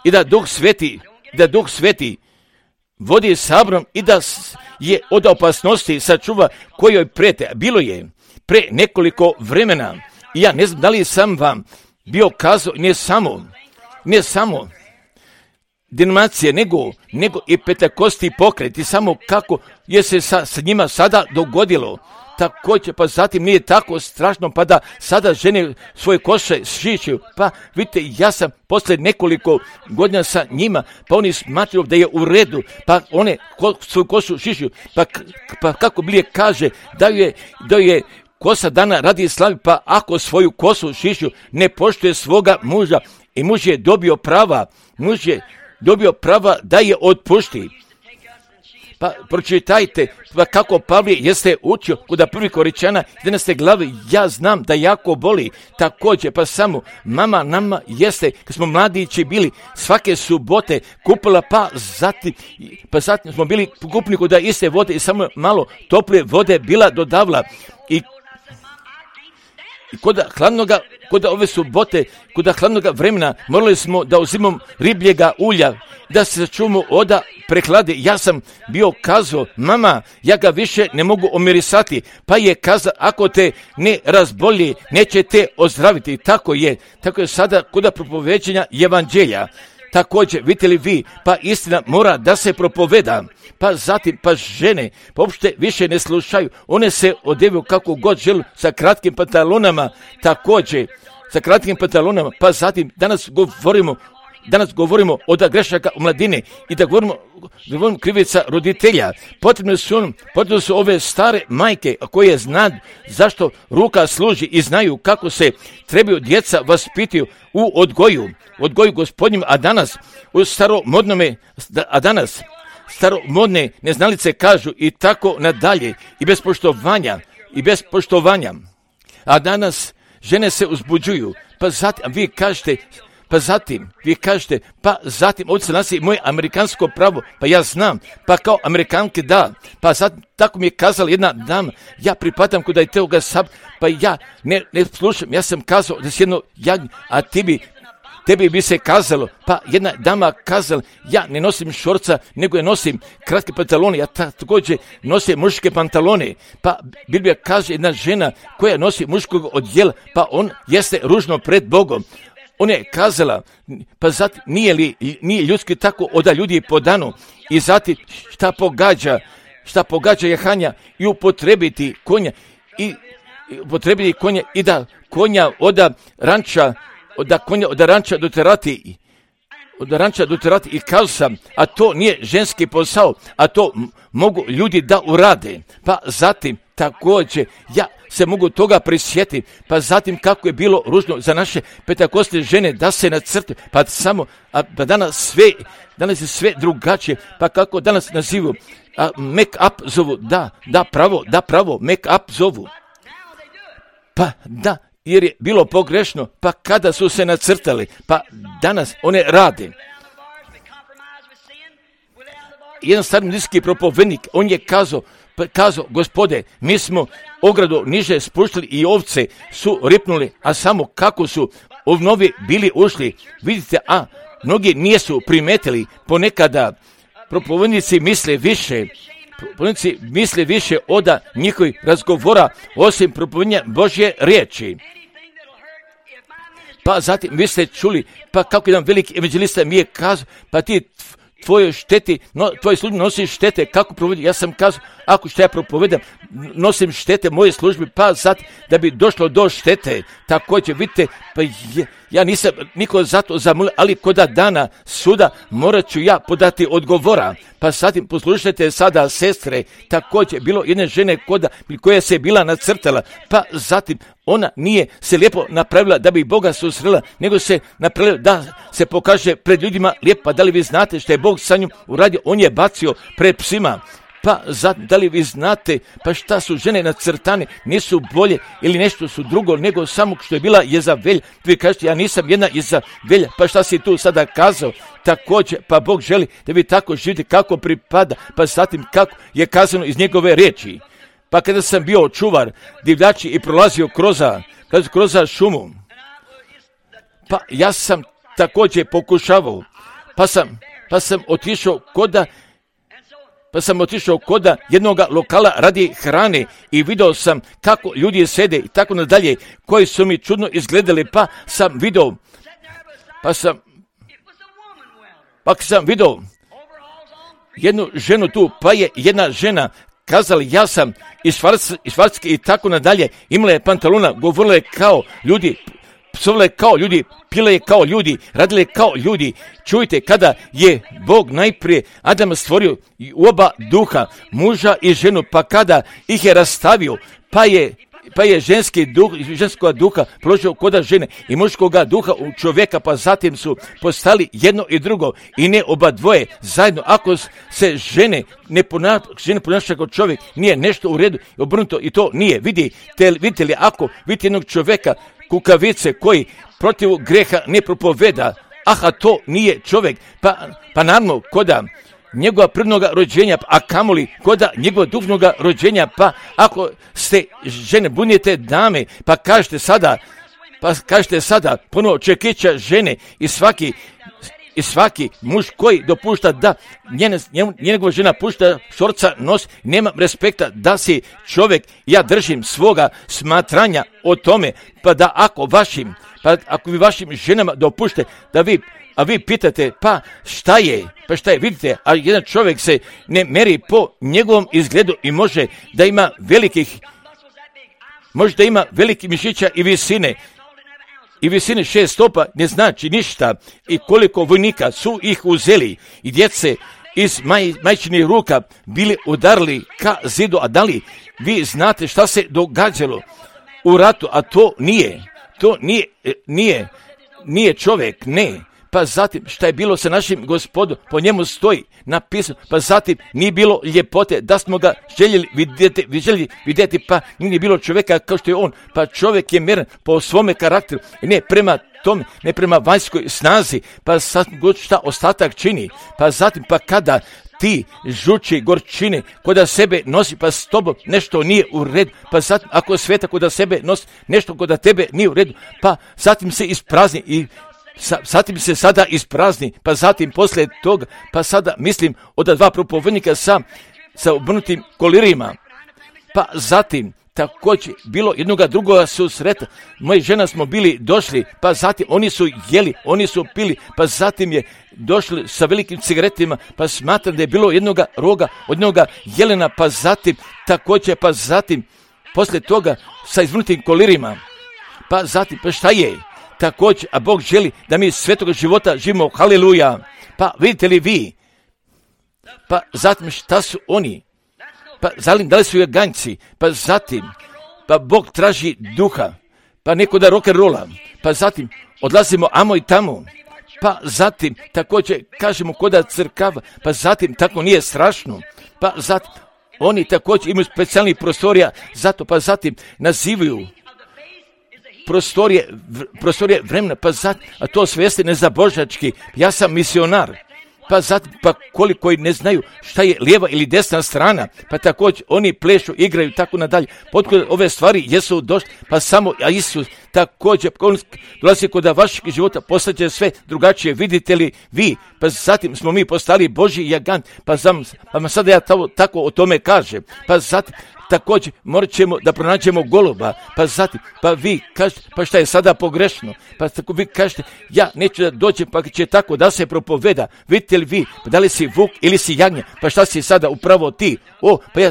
i da Duh Sveti, da Duh Sveti vodi sabrom i da je od opasnosti sačuva kojoj prete. Bilo je pre nekoliko vremena i ja ne znam da li sam vam bio kazao, ne samo, ne samo denominacije, nego, nego i pentakosti pokret i samo kako je se sa, sa njima sada dogodilo. Također, pa zatim nije tako strašno, pa da sada žene svoje koše šišaju. Pa vidite, ja sam posle nekoliko godina sa njima, pa oni smatraju da je u redu, pa one ko, svoju košu šišaju. Pa, pa kako Bilje kaže, da je, da je kosa dana radi slavi, pa ako svoju kosu šišaju, ne poštuje svoga muža i muž je dobio prava, muž je dobio prava da je otpušti. Pa pročitajte pa kako Pavle jeste učio kod prvi Koričana jedanaeste glave, ja znam da jako boli. Također pa samo mama nama jeste, kad smo mladići bili, svake subote kupila, pa zatim, pa zatim smo bili kupni kod iste vode i samo malo tople vode bila dodavla. I I kod hladnoga, kod ove subote, kod hladnoga vremena morali smo da uzimamo ribljega ulja, da se sačuvamo oda prehlade. Ja sam bio kazao, mama, ja ga više ne mogu omirisati, pa je kazao, ako te ne razbolji, neće te ozdraviti. Tako je, tako je sada kod propoveđenja evanđelja. Također, vidite li vi, pa istina mora da se propoveda, pa zatim, pa žene, pa uopšte više ne slušaju, one se odevaju kako god žele sa kratkim pantalonama, također, sa kratkim pantalonama, pa zatim, danas govorimo, danas govorimo o da grešaka u mladine i da govorimo, da govorimo krivica roditelja. Potrebne su, potrebne su ove stare majke koje znaju zašto ruka služi i znaju kako se trebaju djeca vaspitaju u odgoju, odgoju Gospodnjim, a danas u staromodnome, a danas staromodne neznalice kažu i tako nadalje i bez poštovanja, i bez poštovanja. A danas žene se uzbuđuju, pa zatim vi kažete, pa zatim, vi kažete, pa zatim, ovdje se nasi moje amerikansko pravo, pa ja znam, pa kao Amerikanke da, pa zatim, tako mi je kazala jedna dama, ja pripadam kod toga sab, pa ja ne, ne slušam, ja sam kazao da si jedno jagnje, a ti bi, tebi bi se kazalo, pa jedna dama kazala, ja ne nosim šorca, nego je nosim kratke pantalone, ja također nosim muške pantalone, pa Biblija kaže jedna žena koja nosi muškog odjela, pa on jeste ružno pred Bogom. Ona je kazala, pa zatim nije li nije ljudski tako oda ljudi po danu i zatim šta pogađa, šta pogađa jahanja i upotrebiti konja i upotrebiti konja i da konja oda ranča, oda konja oda ranča doterati, od ranča doterati i kazao sam, a to nije ženski posao, a to m- mogu ljudi da urade. Pa zatim također ja se mogu toga prisjetiti, pa zatim kako je bilo ružno za naše pentakostne žene da se nacrte, pa samo, a pa danas sve, danas je sve drugačije, pa kako danas nazivu, a make up zovu, da, da pravo, da pravo, make up zovu. Pa da, jer je bilo pogrešno, pa kada su se nacrtali, pa danas one rade. Jedan staromilijski propovednik, on je kazao, kazao, gospode, mi smo ogradu niže spuštili i ovce su ripnuli, a samo kako su ovnovi bili ušli, vidite, a mnogi nisu primetili, ponekada propovednici misle više, propovednici misle više oda njihovih razgovora, osim propovednja Božje riječi. Pa zatim vi ste čuli, pa kako jedan veliki evanđelista mi je kazao, pa ti tvojoj šteti, no, tvoj službi nosi štete, kako provodi, ja sam kazao, ako što ja propovedam, nosim štete moje službi, pa sad da bi došlo do štete, također, vidite, pa je, ja nisam niko zato zamolio, ali koda dana suda morat ću ja podati odgovora, pa zatim poslušajte sada sestre, također, bilo jedne žene koda, koja se bila nacrtala, pa zatim ona nije se lijepo napravila da bi Boga susrela, nego se napravila da se pokaže pred ljudima lijepa. Da li vi znate što je Bog sa njom uradio? On je bacio pred psima. Pa zatim, da li vi znate, pa šta su žene nacrtane, nisu bolje ili nešto su drugo, nego samo što je bila Jezavelj. Vi kažete, ja nisam jedna Jezavelja, pa šta si tu sada kazao? Također, pa Bog želi da vi tako živite kako pripada, pa zatim kako je kazano iz njegove riječi. Pa kada sam bio čuvar divljači i prolazio kroz, kroz šumu, pa ja sam također pokušavao, pa sam, pa sam otišao koda, pa sam otišao koda jednog lokala radi hrane i vidio sam kako ljudi sede i tako nadalje, koji su mi čudno izgledali, pa sam vidio, pa sam, pa sam vidio jednu ženu tu, pa je jedna žena kazali, ja sam iz Švarske i tako nadalje, imala je pantalona, govorila je kao ljudi, psovale kao ljudi, pile je kao ljudi, radile kao ljudi. Čujte, kada je Bog najprije Adama stvorio u oba duha, muža i ženu, pa kada ih je rastavio, pa je pa je ženski duh, ženskog duha položio koda žene i muškoga duha u čovjeka, pa zatim su postali jedno i drugo i ne oba dvoje zajedno. Ako se žene ne ponaša, ponaša kao čovjek, nije nešto u redu, obrnuto i to nije. Vidite, vidite li, ako vidite jednog čovjeka, kukavice koji protiv greha ne propoveda, aha, to nije čovjek, pa, pa naravno koda njegova prirodnog rođenja, a kamoli koda njegova duhovnog rođenja, pa ako ste žene, bunjete dame, pa kažete sada, pa kažete sada, ponovo čekića žene i svaki, i svaki muž koji dopušta da njene, njegova žena pušta šorca nos, nema respekta da si čovjek, ja držim svoga smatranja o tome, pa da ako vašim, pa ako vi vašim ženama dopušte da vi, a vi pitate, pa šta je, pa šta je, vidite, a jedan čovjek se ne meri po njegovom izgledu i može da ima velikih, može da ima velikih mišića i visine, i visine šest stopa ne znači ništa, i koliko vojnika su ih uzeli i djece iz maj, majčinih ruka bili udarili ka zidu, a da li vi znate šta se događalo u ratu, a to nije, to nije, nije, nije čovjek, ne. Pa zatim šta je bilo sa našim Gospodom, po njemu stoji napisano, pa zatim nije bilo ljepote da smo ga željeli vidjeti, željeli vidjeti, pa nije bilo čovjeka kao što je on, pa čovjek je mjeren po svome karakteru i ne prema tome, ne prema vanjskoj snazi, pa sad šta ostatak čini, pa zatim pa kada ti žuči gorčine koda sebe nosi, pa s tobom nešto nije u redu, pa zatim ako sveta koda sebe nosi nešto koda tebe nije u redu, pa zatim se isprazni i Sa, zatim se sada isprazni, pa zatim poslije toga, pa sada mislim od dva propovednika sa, sa obrnutim kolirima, pa zatim također bilo jednoga drugoga susreta, moja žena smo bili došli, pa zatim oni su jeli, oni su pili, pa zatim je došli sa velikim cigaretima, pa smatram da je bilo jednoga roga, od jednoga jelena, pa zatim također, pa zatim poslije toga sa izvrnutim kolirima, pa zatim, pa šta je? Također, a Bog želi da mi svetoga života živimo, haleluja. Pa vidite li vi, pa zatim šta su oni, pa zatim da li su jaganjci, pa zatim, pa Bog traži duha, pa neko da rock'n'rolla, pa zatim odlazimo amo i tamo, pa zatim također kažemo koda crkava, pa zatim tako nije strašno, pa zatim oni također imaju specijalnih prostorija, zato pa zatim nazivaju prostorije, prostorije vremena, pa zatim, a to svijesti nezabožački, ja sam misionar, pa zatim, pa koliko i ne znaju šta je lijeva ili desna strana, pa također oni plešu, igraju, tako nadalje, potkud ove stvari jesu došli, pa samo, a Isus također on dolazi kod vašeg života, postaće sve drugačije, vidite li vi, pa zatim smo mi postali Božji jagant, pa, zam, pa sada ja to, tako o tome kažem, pa zatim također morat ćemo da pronađemo goluba, pa zatim, pa vi kažete, pa šta je sada pogrešno, pa tako vi kažete, ja neću da dođem, pa će tako da se propoveda, vidite li vi, pa da li si vuk ili si jagnje, pa šta si sada upravo ti, o, pa ja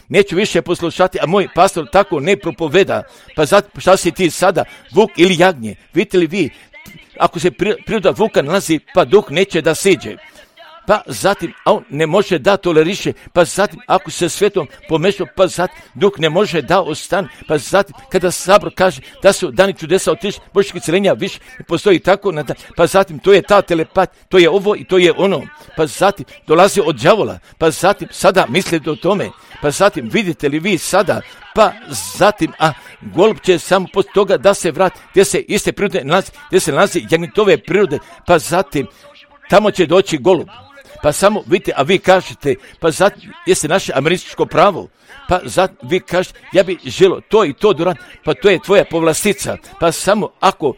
neću više poslušati, a moj pastor tako ne propoveda, pa zatim, šta si ti sada, vuk ili jagnje, vidite li vi, ako se priroda vuka nalazi, pa duh neće da siđe. Pa zatim, a on ne može da toleriše, pa zatim, ako se svetom pomešao, pa zatim, duh ne može da ostane, pa zatim, kada sabor kaže da su dani čudesa otišli, božjih isceljenja više ne postoji tako, pa zatim, to je ta telepat, to je ovo i to je ono, pa zatim, dolazi od đavola, pa zatim, sada mislite o tome, pa zatim, vidite li vi sada, pa zatim, a golub će samo poslije toga da se vrati, gdje se iste prirode nalazi, gdje se nalazi jagnjetove prirode, pa zatim, tamo će doći golub. Pa samo vidite, a vi kažete, pa zatim jeste naše američko pravo, pa zatim vi kažete, ja bi želio to i to duran, pa to je tvoja povlastica, pa samo ako,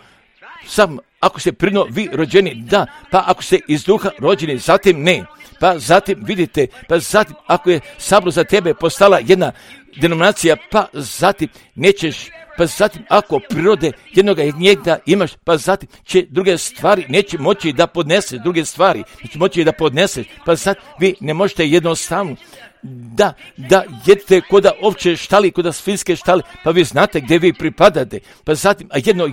sam, ako ste prirodno vi rođeni, da, pa ako ste iz duha rođeni, zatim ne, pa zatim vidite, pa zatim ako je sabor za tebe postala jedna denominacija, pa zatim nećeš, pa zatim ako prirode jednoga njega imaš, pa zatim će druge stvari neće moći da podneseš, druge stvari neće moći da podneseš, pa zatim vi ne možete jednostavno da, da jedete koda ovče štali, koda svinjske štali, pa vi znate gdje vi pripadate, pa zatim, a jedno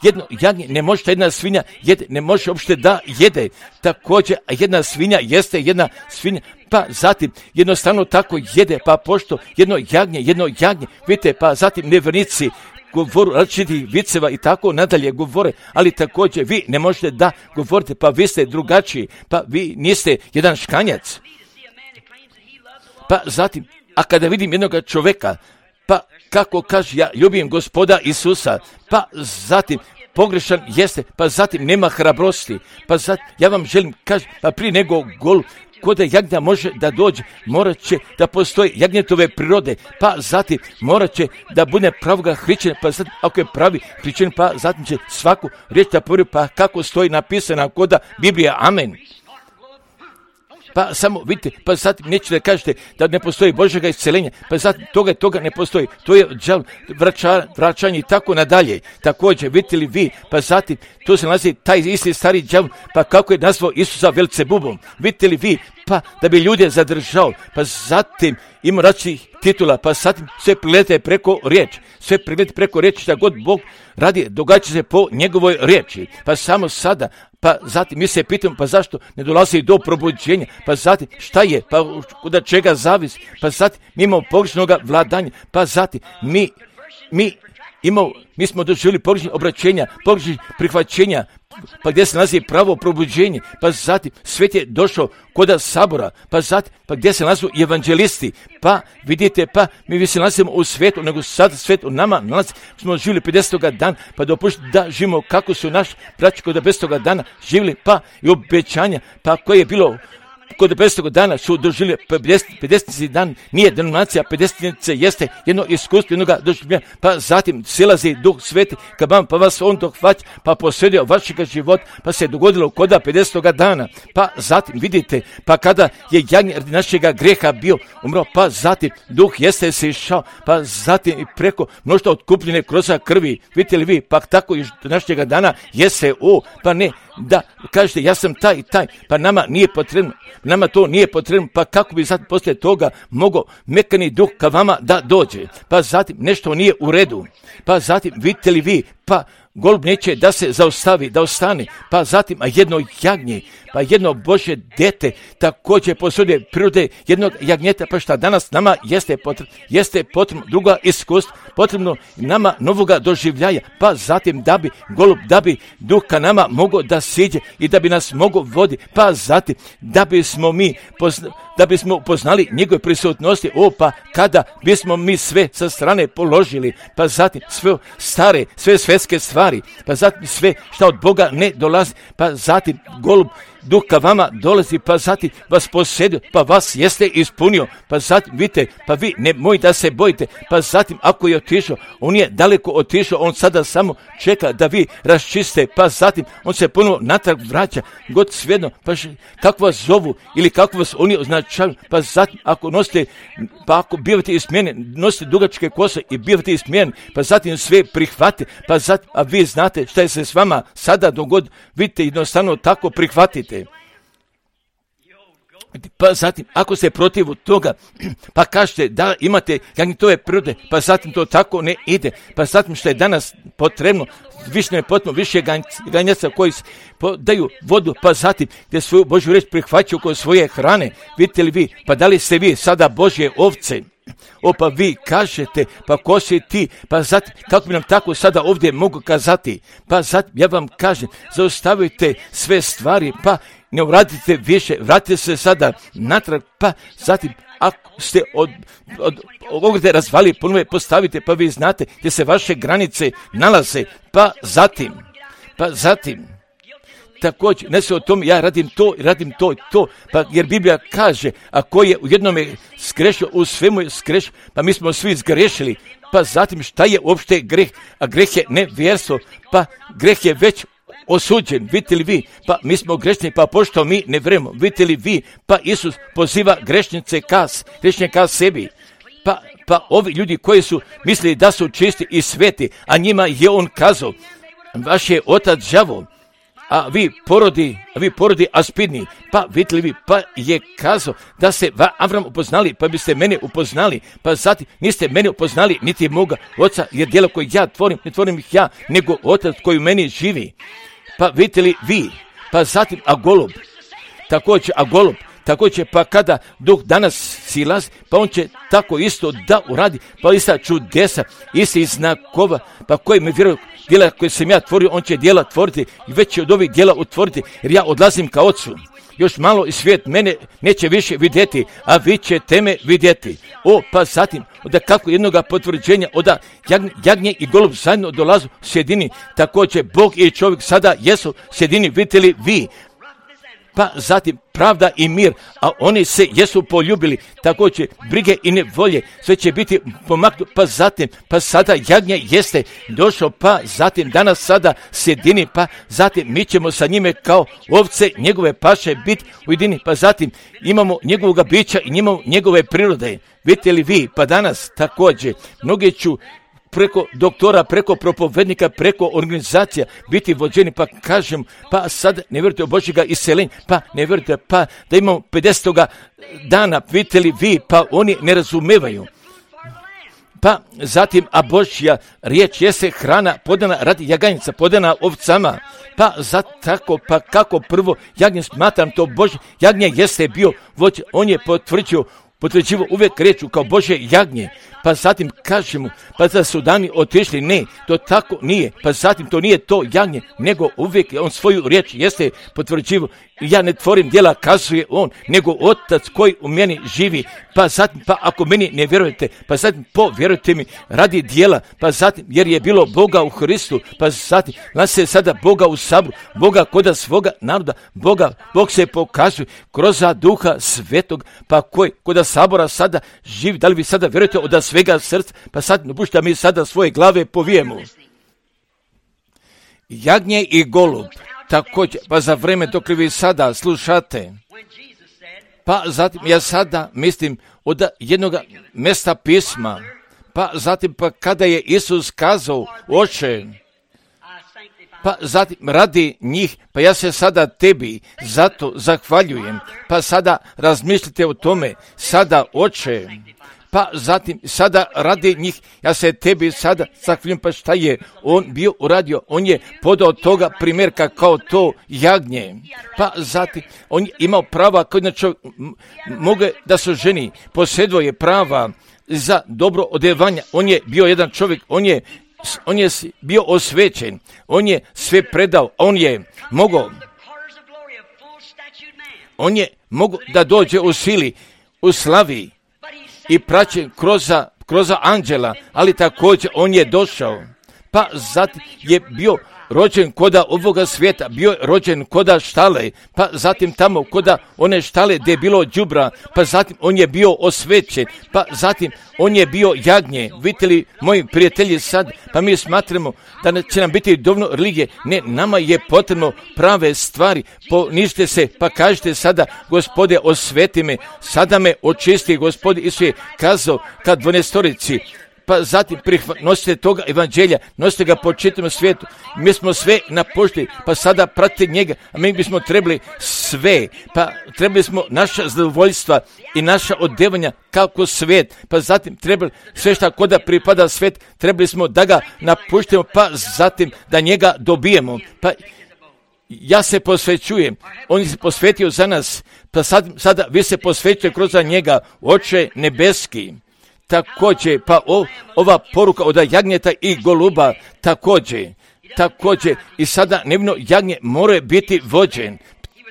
jedno jagnje ne može jedna svinja jede, ne može uopšte da jede, također, a jedna svinja jeste jedna svinja, pa zatim jednostavno tako jede, pa pošto jedno jagnje, jedno jagnje, vidite, pa zatim nevjernici govoru različitih viceva i tako nadalje govore, ali također vi ne možete da govorite, pa vi ste drugačiji, pa vi niste jedan škanjac. Pa zatim, a kada vidim jednog čovjeka, pa kako kaže, ja ljubim Gospoda Isusa, pa zatim pogrešan jeste, pa zatim nema hrabrosti, pa zatim ja vam želim kaži, pa prije nego gol, kod jagnja može da dođe, morat će da postoji jagnjetove prirode, pa zatim morat će da bude pravoga hrićenja, pa zatim ako je pravi hrićenje, pa zatim će svaku riječ da povjeri, pa kako stoji napisana koda Biblija, amen. Pa samo vidite, pa zatim nećete da kažete da ne postoji Božjega isceljenja, pa zatim toga toga ne postoji, to je đav, vraća, vraćanje i tako nadalje. Također, vidite li vi, pa zatim to se nalazi taj isti stari đav, pa kako je nazvao Isusa Velcebubom, vidite li vi, pa da bi ljude zadržao, pa zatim ima različitih titula, pa zatim sve prilete preko riječi, sve prilete preko riječi, šta god Bog radi, događa se po njegovoj riječi, pa samo sada, pa zatim mi se pitamo, pa zašto ne dolazi do probuđenja, pa zatim šta je, pa od čega zavisi, pa zatim mi imamo pogrešnog vladanja, pa zatim mi, mi imamo, mi smo doživjeli pogrešnih obraćenja, pogrešnih prihvaćenja, pa gdje se nalazi pravo probuđenje, pa zatim svet je došao koda sabora, pa zatim, pa gdje se nalazu evanđelisti, pa vidite, pa mi se nalazimo u svijetu, nego sad svijet u nama nalazi, smo živjeli pedesetoga dana, pa dopušti da živimo kako su naši braći kod pedesetoga dana živjeli, pa i obećanja, pa koje je bilo kod pedesetoga dana su doživjeli pedeseti dan, nije denominacija, pedesetice jeste jedno iskustvo jednoga doživljenja, pa zatim silazi Duh Sveti ka vam, pa vas on dohvaća, pa posredio vašega života, pa se dogodilo koda pedesetoga dana, pa zatim vidite, pa kada je jagnje radi našega greha bio umro, pa zatim Duh jeste se išao, pa zatim i preko mnoštva otkupljene kroz krvi, vidite li vi, pa tako i do našega dana jeste o, pa ne, da kažete ja sam taj i taj, pa nama nije potrebno, nama to nije potrebno, pa kako bi sad poslije toga mogao mekani duh ka vama da dođe, pa zatim nešto nije u redu, pa zatim vidite li vi, pa golub neće da se zaustavi, da ostane, pa zatim, a jedno jagnje, pa jedno Božje dete, također posudje prirode jednog jagnjeta, pa šta danas nama jeste potrebno, jeste potrebno druga iskustva, potrebno nama novoga doživljaja, pa zatim da bi golub, da bi duh ka nama mogao da siđe i da bi nas mogao vodi, pa zatim da bismo mi pozna, da bismo upoznali njegove prisutnosti, o pa kada bismo mi sve sa strane položili, pa zatim sve stare, sve svjetske stvari, pa zatim sve što od Boga ne dolazi, pa zatim golub duh ka vama dolazi, pa zatim vas posjedio, pa vas jeste ispunio, pa zatim vidite, pa vi ne moj da se bojite, pa zatim ako je otišao, on je daleko otišao, on sada samo čeka da vi raščiste, pa zatim on se ponovo natrag vraća, god svejedno, pa š, kako vas zovu ili kako vas oni označavaju, pa zatim ako nosite, pa ako bivate ismijeni, nosite dugačke kose i bivate ismijeni, pa zatim sve prihvate, pa zatim, a vi znate šta je se s vama sada dogod, vidite, jednostavno tako prihvatite. Pa zatim, ako ste protiv toga, pa kažete da imate jagnjetove prirode, pa zatim to tako ne ide, pa zatim što je danas potrebno, više ne potrebno, više ganjaca koji daju vodu, pa zatim gdje svoju Božju riječ prihvaćaju kod svoje hrane, vidite li vi, pa da li ste vi sada Božje ovce? O, pa vi kažete, pa ko si ti, pa zatim, kako bi nam tako sada ovdje mogu kazati, pa zatim, ja vam kažem, zaustavite sve stvari, pa ne uradite više, vratite se sada natrag, pa zatim, ako ste od, od, od ovdje razvali, ponovno postavite, pa vi znate gdje se vaše granice nalaze, pa zatim, pa zatim, također, ne se o tom, ja radim to i radim to i to, pa jer Biblija kaže, ako je u jednome sgrešio, u svemu je sgrešio, pa mi smo svi zgrešili, pa zatim šta je uopšte greh, a greh je nevjerstvo, pa greh je već osuđen, vidite li vi, pa mi smo grešni, pa pošto mi ne vremo, vidite li vi, pa Isus poziva grešnice kas, grešnje ka sebi, pa, pa ovi ljudi koji su mislili da su čisti i sveti, a njima je on kazao, vaš je otac đavo, a vi porodi, a vi porodi aspidni, pa vidite li vi, pa je kazao da se Avram upoznali, pa biste mene upoznali, pa zatim niste mene upoznali, niti moga oca, jer djela koje ja tvorim, ne tvorim ih ja, nego otac koji u meni živi. Pa vidite li vi, pa zatim a golub, također a golub, također pa kada duh danas silaz, pa on će tako isto da uradi, pa ista čudesa, isti znakova, pa koji me vjeruju, djela koje sam ja tvorio, on će djela tvoriti i već će od ovih djela utvoriti, jer ja odlazim ka ocu. Još malo i svijet mene neće više vidjeti, a vi ćete me vidjeti. O, pa zatim, od kako jednoga potvrđenja, od jagnje, jagnje i golub zajedno dolazu u sjedini, također Bog i čovjek sada jesu u sjedini, vidite li vi, pa zatim pravda i mir, a oni se jesu poljubili, također brige i nevolje, sve će biti pomaknuto, pa zatim, pa sada jagnje jeste došao, pa zatim danas sada sjedini, pa zatim mi ćemo sa njime kao ovce njegove paše biti ujedini, pa zatim imamo njegovoga bića i imamo njegove prirode, vidite li vi, pa danas također, mnogi ću preko doktora, preko propovednika, preko organizacija biti vođeni, pa kažem, pa sad ne vjerujete u Božjega iseljenja, pa ne vjerujete, pa da imamo pedesetoga dana, vidite li vi, pa oni ne razumevaju. Pa zatim, a Božja riječ jeste hrana podana radi jaganjica, podana ovcama, pa za tako, pa kako prvo jagnje smatram to Božje, jagnje jeste bio vođe, on je potvrđio, potvrđivo uvijek reču kao Božje jagnje, pa zatim kažemo, pa da su dani otišli, ne, to tako nije, pa zatim to nije to jagnje, nego uvijek on svoju riječ jeste potvrđivo, ja ne tvorim djela, kazuje on, nego otac koji u meni živi, pa zatim, pa ako meni ne vjerujete, pa zatim povjerujte mi radi djela, pa zatim, jer je bilo Boga u Hristu, pa zatim, nas se sada Boga u sabru, Boga koda svoga naroda, Boga, Bog se pokazuje kroz duha svetog, pa koji koda sabora sada živi, da li vi sada vjerujete od svega srca, pa sad dopušta mi sada svoje glave povijemo. Jagnje i golub, također, pa za vreme dok vi sada slušate, pa zatim ja sada mislim od jednog mjesta pisma, pa zatim pa kada je Isus kazao, oče, pa zatim radi njih, pa ja se sada tebi zato zahvaljujem, pa sada razmislite o tome, sada oče, pa zatim sada radi njih, ja se tebi sada zahvaljujem, pa šta je on bio uradio, on je podao toga primjerka kao to jagnje, pa zatim on je imao prava koji na čovjek mogu da su ženi, posjedovao je prava za dobro odjevanje, on je bio jedan čovjek, on je on je bio osvećen, on je sve predao, on je mogao, on je mogao da dođe u sili, u slavi i praćen kroz, kroz anđela, ali također on je došao, pa zatim je bio rođen koda ovoga svijeta, bio je rođen koda štale, pa zatim tamo koda one štale gdje je bilo đubra, pa zatim on je bio osvećen, pa zatim on je bio jagnje. Vidite li, moji prijatelji, sad, pa mi smatramo da će nam biti dovoljno religije. Ne, nama je potrebno prave stvari. Ponižite se, pa kažete sada, Gospode, osveti me, sada me očisti, Gospode. Isus je kazao kad dvanaestorici, pa zatim nosite toga evanđelja, nosite ga po čitavom svijetu. Mi smo sve napuštili, pa sada pratite njega, a mi bismo trebali sve, pa trebali smo naša zadovoljstva i naša odevanja kako svijet, pa zatim trebali sve šta koda pripada svijet, trebali smo da ga napuštimo, pa zatim da njega dobijemo. Pa ja se posvećujem, on se posvetio za nas, pa sad, sada vi se posvećujete kroz njega, Oče nebeski. Također, pa o, ova poruka od jagnjeta i goluba, također, također, i sada nevino jagnje mora biti vođen,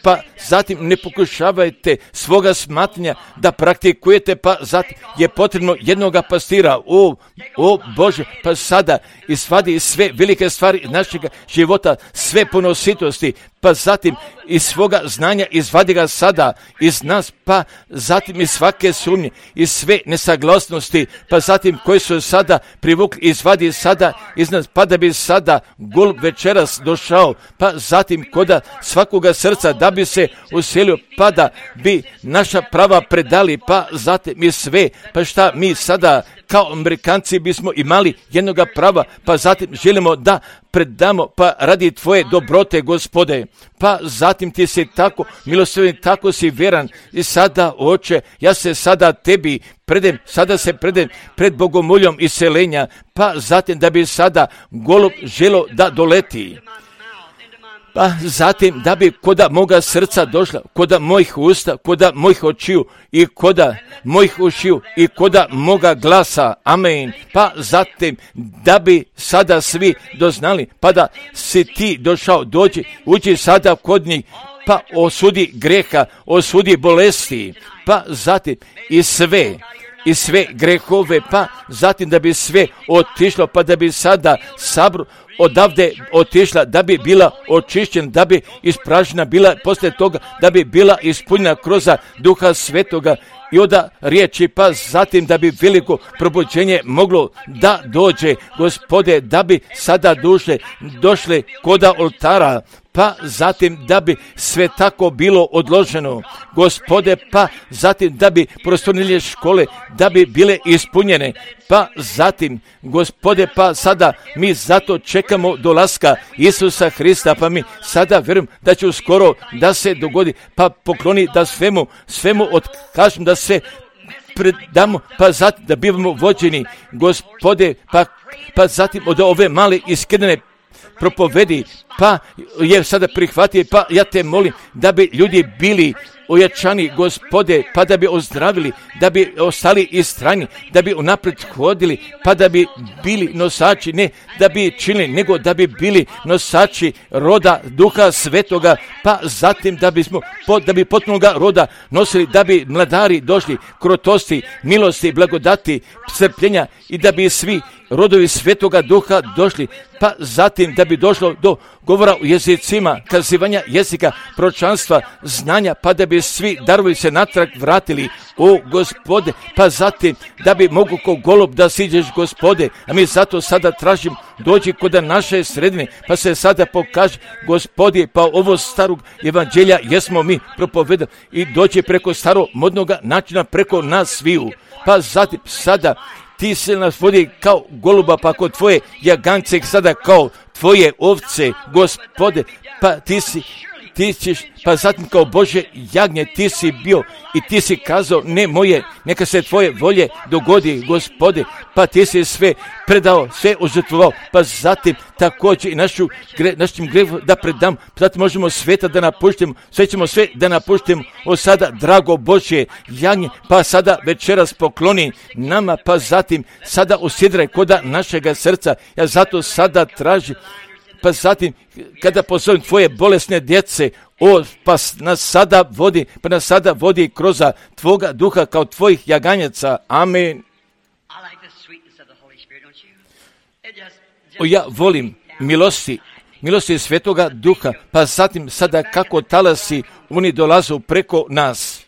pa zatim ne pokušavajte svoga smatranja da praktikujete, pa zatim je potrebno jednoga pastira, o, o Bože, pa sada izvadi sve velike stvari našeg života, sve ponositosti, pa zatim iz svoga znanja izvadi ga sada iz nas, pa zatim iz svake sumnje, iz sve nesaglasnosti, pa zatim koji su sada privukli, izvadi sada iz nas, pa da bi sada gol večeras došao, pa zatim koda svakoga srca da bi se uselio, pa da bi naša prava predali, pa zatim mi sve, pa šta mi sada kao Amerikanci bismo imali jednoga prava, pa zatim želimo da predamo, pa radi tvoje dobrote, Gospode, pa zatim ti si tako milosrdni, tako si vjeran i sada, Oče, ja se sada tebi predem, sada se predem pred bogomoljom iseljenja, pa zatim da bi sada golub želo da doleti. Pa zatim da bi koda moga srca došla, koda mojih usta, koda mojih očiju i koda mojih ušiju i koda moga glasa, amen. Pa zatim da bi sada svi doznali, pa da si ti došao, dođi, uđi sada kod njih, pa osudi greha, osudi bolesti, pa zatim i sve, i sve grehove, pa zatim da bi sve otišlo, pa da bi sada sabor odavde otišla, da bi bila očišćena, da bi ispražnjena bila, poslije toga da bi bila ispunjena kroz Duha Svetoga i od riječi, pa zatim da bi veliko probuđenje moglo da dođe, Gospode, da bi sada duše došle koda oltara, pa zatim da bi sve tako bilo odloženo, Gospode, pa zatim da bi prostornije škole, da bi bile ispunjene, pa zatim, Gospode, pa sada mi zato čekamo dolaska Isusa Hrista, pa mi sada vjerujem da će uskoro da se dogodi, pa pokloni da svemu, svemu otkažem, da se predamo, pa zatim da bivamo vođeni, Gospode, pa, pa zatim od ove male iskidane propovedi, pa je sada prihvatio, pa ja te molim da bi ljudi bili ojačani, Gospode, pa da bi ozdravili, da bi ostali istrajni, da bi unaprijed hodili, pa da bi bili nosači, ne da bi činili, nego da bi bili nosači roda Duha Svetoga, pa zatim da bismo, da bi potpunoga roda nosili, da bi mladari došli, krotosti, milosti, blagodati, strpljenja i da bi svi rodovi Svetoga Duha došli, pa zatim da bi došlo do govora u jezicima, kazivanja jezika, proročanstva, znanja, pa da bi svi darovi se natrag vratili, o Gospode, pa zatim da bi mogu ko golub da siđeš, Gospode, a mi zato sada tražim, dođi kod naše sredine, pa se sada pokaže, Gospode, pa ovo starog evanđelja jesmo mi propovedali i dođi preko starog modnoga načina preko nas sviju, pa zatim sada ti se nas vodi kao goluba, pa kod tvoje jagance sada kao tvoje ovce, Gospode, pa ti si, ti ćeš, pa zatim kao Bože jagnje ti si bio i ti si kazao, ne moje, neka se tvoje volje dogodi, Gospode, pa ti si sve predao, sve ožrtvovao, pa zatim također i našu, gre, našim grevom da predam, zatim možemo sveta da napuštimo, sve ćemo sve da napuštimo, o sada, drago Božje jagnje, pa sada večeras pokloni nama, pa zatim sada usidraj koda našega srca, ja zato sada tražim, pa zatim kada pozovem tvoje bolesne djece, o, pa nas sada vodi, pa nas sada vodi kroz tvoga duha kao tvojih jaganjaca, amen. O, ja volim milosti milosti Svetoga Duha, pa zatim sada kako talasi oni dolazu preko nas.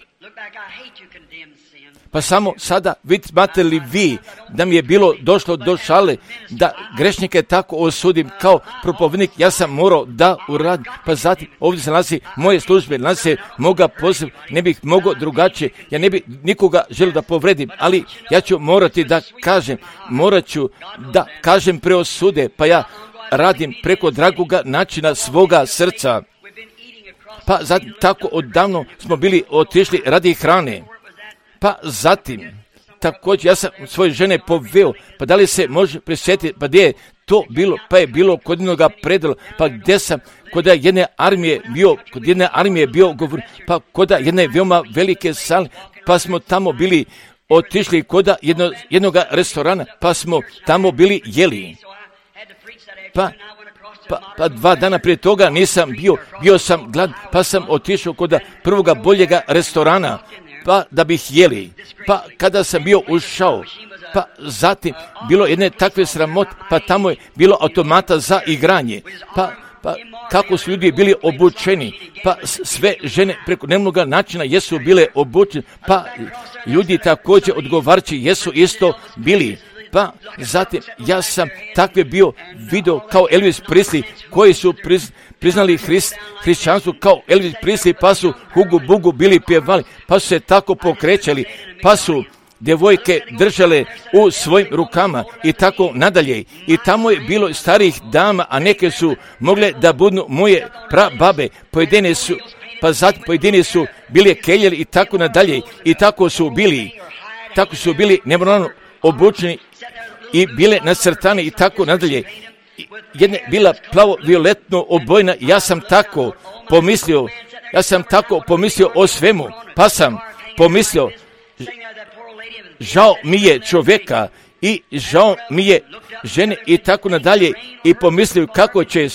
Pa samo sada vidite li vi da mi je bilo došlo do šale da grešnike tako osudim kao propovednik, ja sam morao da uradim. Pa zatim ovdje se nalazi moje službe, nalazi se moga poziv, ne bih mogao drugačije, ja ne bih nikoga želio da povredim, ali ja ću morati da kažem, morat ću da kažem preosude, pa ja radim preko dragoga načina svoga srca. Pa zatim tako odavno smo bili otišli radi hrane. Pa zatim, također ja sam svoje žene poveo, pa da li se može prisjetiti, pa gdje je to bilo, pa je bilo kod jednoga predala, pa gdje sam kod jedne armije bio, kod jedne armije bio govor, pa kod jedne veoma velike sale, pa smo tamo bili otišli kod jedno, jednog restorana, pa smo tamo bili jeli. Pa, pa, pa dva dana prije toga nisam bio, bio sam glad, pa sam otišao kod prvoga boljega restorana, pa da bih jeli. Pa kada sam bio ušao, pa zatim bilo jedne takve sramote, pa tamo je bilo automata za igranje, pa, pa kako su ljudi bili obučeni, pa sve žene preko nemnoga načina jesu bile obučene, pa ljudi također odgovarajući jesu isto bili. Pa zatim ja sam takve bio video kao Elvis Presley koji su priz, priznali Hrist, hrišćanstvo kao Elvis Presley, pa su hugu bugu bili pjevali, pa su se tako pokrećali, pa su djevojke držale u svojim rukama i tako nadalje. I tamo je bilo starih dama, a neke su mogle da budu moje prababe, pojedine su, pa zatim pojedine su bili keljeri i tako nadalje. I tako su bili, tako su bili nemoralno obučeni i bile nacrtane i tako nadalje. Jedna bila plavo-violetno obojna, ja sam tako pomislio, ja sam tako pomislio o svemu, pa sam pomislio, žao mi je čovjeka i žao mi je žene i tako nadalje i pomislio kako će,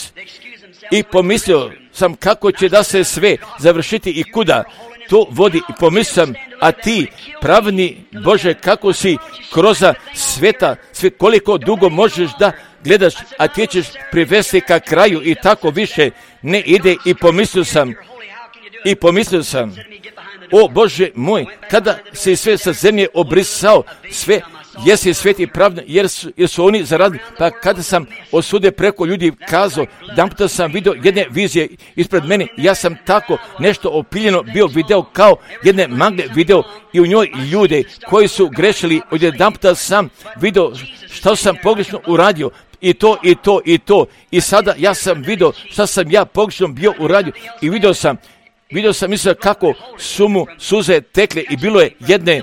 i pomislio sam kako će da se sve završiti i kuda to vodi i pomislio sam, a ti pravni Bože kako si kroz sveta, sve koliko dugo možeš da gledaš, a ti ćeš privesti ka kraju i tako više ne ide i pomislio sam, i pomislio sam, o Bože moj, kada si sve sa zemlje obrisao, sve jesi sveti pravno, jer su, jer su oni zaradili. Pa kada sam osude preko ljudi kazao, jedanputa sam vidio jedne vizije ispred mene, ja sam tako nešto opiljeno bio video kao jedne magle video i u njoj ljude koji su grešili, od jedanputa sam vidio što sam pogrešno uradio, i to, i to, i to, i sada ja sam vidio što sam ja pogrešno bio uradio i vidio sam, vidio sam mislio kako su mu suze tekle i bilo je jedne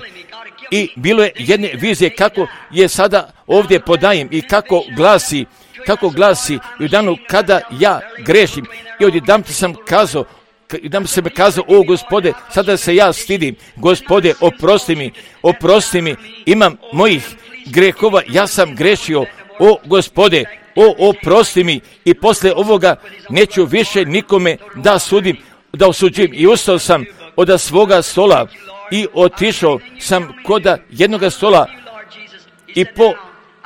I bilo je jedne vizije kako je sada ovdje podajem i kako glasi, kako glasi i u danu kada ja grešim. I odjedanput sam kazao, odjedanput sam kazao, o Gospode, sada se ja stidim, Gospode, oprosti mi, oprosti mi, imam mojih grehova, ja sam grešio, o Gospode, o oprosti mi i poslije ovoga neću više nikome da sudim, da osuđujem. I ustao sam od svoga stola i otišao sam kod jednoga stola i po,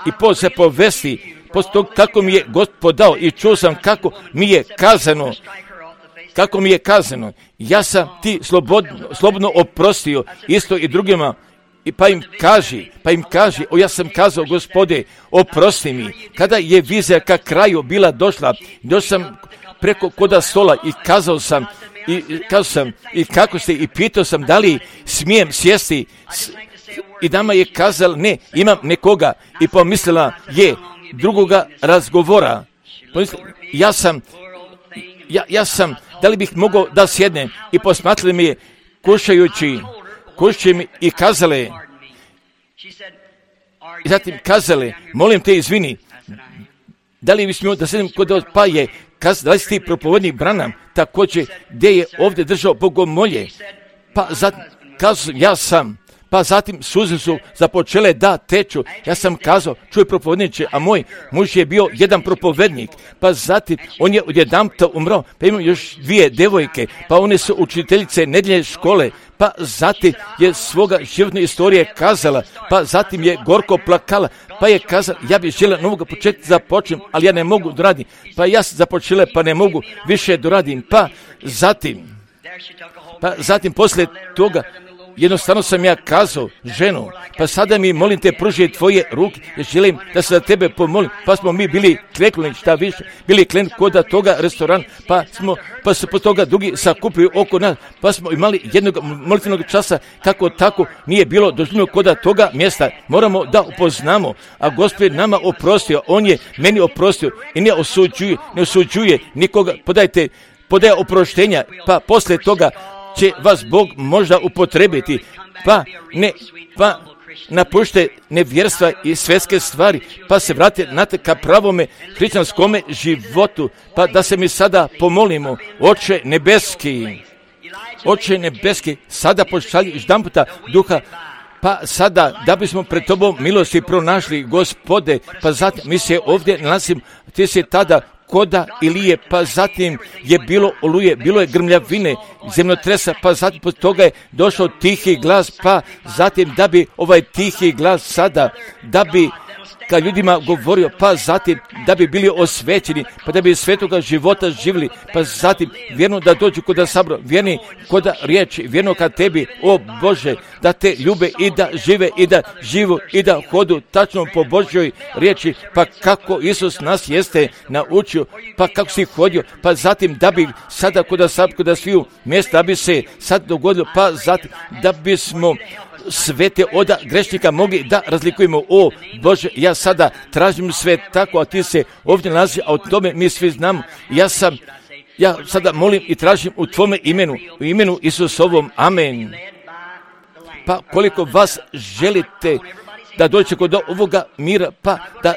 i po se povesti, posto tog kako mi je Gospod dao i čuo sam kako mi je kazano, kako mi je kazano, ja sam ti slobodno, slobodno oprostio isto i drugima. I pa im kaži, pa im kaži, o ja sam kazao, Gospode, oprosti mi. Kada je vizija ka kraju bila došla, došao sam preko koda stola i kazao sam, i kazao sam, i kako ste, i pitao sam da li smijem sjesti, i dama je kazala, ne, imam nekoga, i pomislila je drugoga razgovora. Pomislila, ja sam, ja, ja sam, da li bih mogao da sjednem, i posmatrali mi je kušajući, kušajući mi i kazale, i zatim kazale, molim te izvini, da li bih smio da sjednem kod vas, pa je kazala, da li si ti propovednik Branham, također gdje je ovdje držao bogomolje, pa zatim kazao, ja sam, pa zatim suze su započele da teču. Ja sam kazao, čuj propovedniče, a moj muž je bio jedan propovednik, pa zatim on je odjedanputa umrao, pa imam još dvije devojke, pa one su učiteljice nedjeljne škole, pa zatim je svoga životne istorije kazala, pa zatim je gorko plakala, pa je kazala, ja bih željela novoga početka započnem, ali ja ne mogu doradim, pa ja sam započela, pa ne mogu više doradim, pa zatim, pa zatim poslije toga, jednostavno sam ja kazao, ženo, pa sada mi molim te pruži tvoje ruke, jer želim da se za tebe pomolim, pa smo mi bili kleknuli, šta više, bili kleknuli kod toga restorana, pa smo, pa se po toga drugi sakupili oko nas, pa smo imali jednog molitvenog časa, kako tako nije bilo doživljeno kod toga mjesta. Moramo da upoznamo, a Gospod nama oprostio, on je meni oprostio i ne osuđuje, ne osuđuje nikoga, podajte, podaje oproštenja, pa poslije toga će vas Bog možda upotrebiti, pa ne, pa napušte nevjerstva i svjetske stvari, pa se vrate na te ka pravome hrišćanskome životu, pa da se mi sada pomolimo, Oče nebeski, Oče nebeski, sada pošalji jedanputa duha, pa sada da bismo pred tobom milosti pronašli, Gospode, pa zatim mi se ovdje nalazimo, ti si tada koda Ilije, pa zatim je bilo oluje, bilo je grmljavine, zemljotresa, pa zatim pod toga je došao tihi glas, pa zatim da bi ovaj tihi glas sada, da bi ka ljudima govorio, pa zatim da bi bili osvećeni, pa da bi svetoga života živjeli, pa zatim vjerno da dođu kod sabora, vjerni kod riječi, vjerno ka tebi, o Bože, da te ljube i da žive i da živu i da hodu tačno po Božjoj riječi, pa kako Isus nas jeste naučio, pa kako si hodio, pa zatim da bi sada kod sabora, kod sviju mjesta, da bi se sad dogodilo, pa zatim da bismo svete oda grešnika mogli da razlikujemo. O Bože, ja sada tražim sve tako, a ti se ovdje nalazi, a o tome mi svi znamo. Ja sam, ja sada molim i tražim u tvome imenu, u imenu Isusovom. Amen. Pa koliko vas želite da dođete kod ovoga mira, pa da,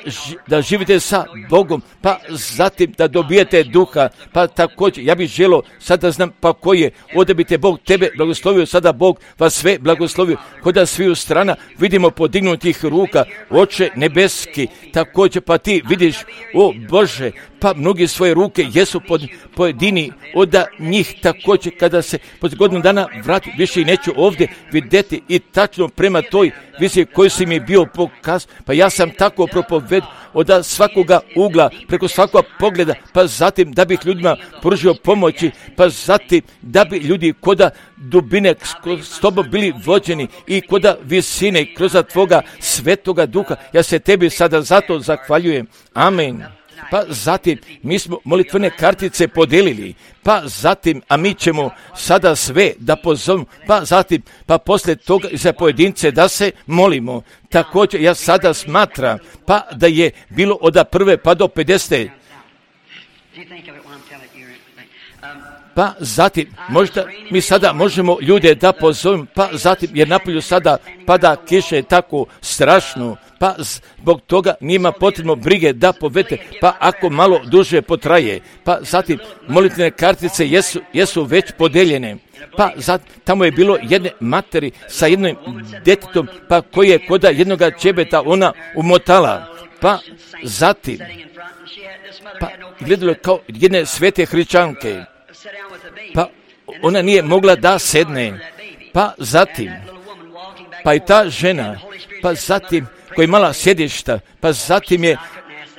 da živite sa Bogom, pa zatim da dobijete duha, pa također ja bih želio sada znam pa koji je, ovdje bi te Bog tebe blagoslovio, sada Bog vas sve blagoslovio, kod da sviju strana vidimo podignutih ruka, Oče nebeski, također pa ti vidiš, o Bože, pa mnogi svoje ruke jesu pod pojedini, od njih također kada se pod godinu dana vrati, više i neću ovdje vidjeti i tačno prema toj viziji koju si mi bio pokaz, pa ja sam tako propoved od svakoga ugla, preko svakoga pogleda, pa zatim da bih ljudima pružio pomoći, pa zatim da bi ljudi koda dubine s tobom bili vođeni i koda visine kroz tvoga svetoga duha. Ja se tebi sada zato zahvaljujem. Amen. Pa zatim mi smo molitvene kartice podelili, pa zatim, a mi ćemo sada sve da pozovemo, pa zatim, pa poslije toga i za pojedince da se molimo. Također ja sada smatram, pa da je bilo od prve pa do pedesete. Pa zatim, možda mi sada možemo ljude da pozovemo, pa zatim jer napolju sada pada kiše tako strašno, pa zbog toga njima potrebno brige da povete, pa ako malo duže potraje, pa zatim molitvene kartice jesu, jesu već podeljene, pa zatim, tamo je bilo jedne materi sa jednim djetetom, pa koji je koda jednoga čebeta ona umotala, pa zatim, pa gledalo kao jedne svete hrišćanke, pa ona nije mogla da sedne, pa zatim, pa i ta žena, pa zatim koja je imala sjedišta, pa zatim je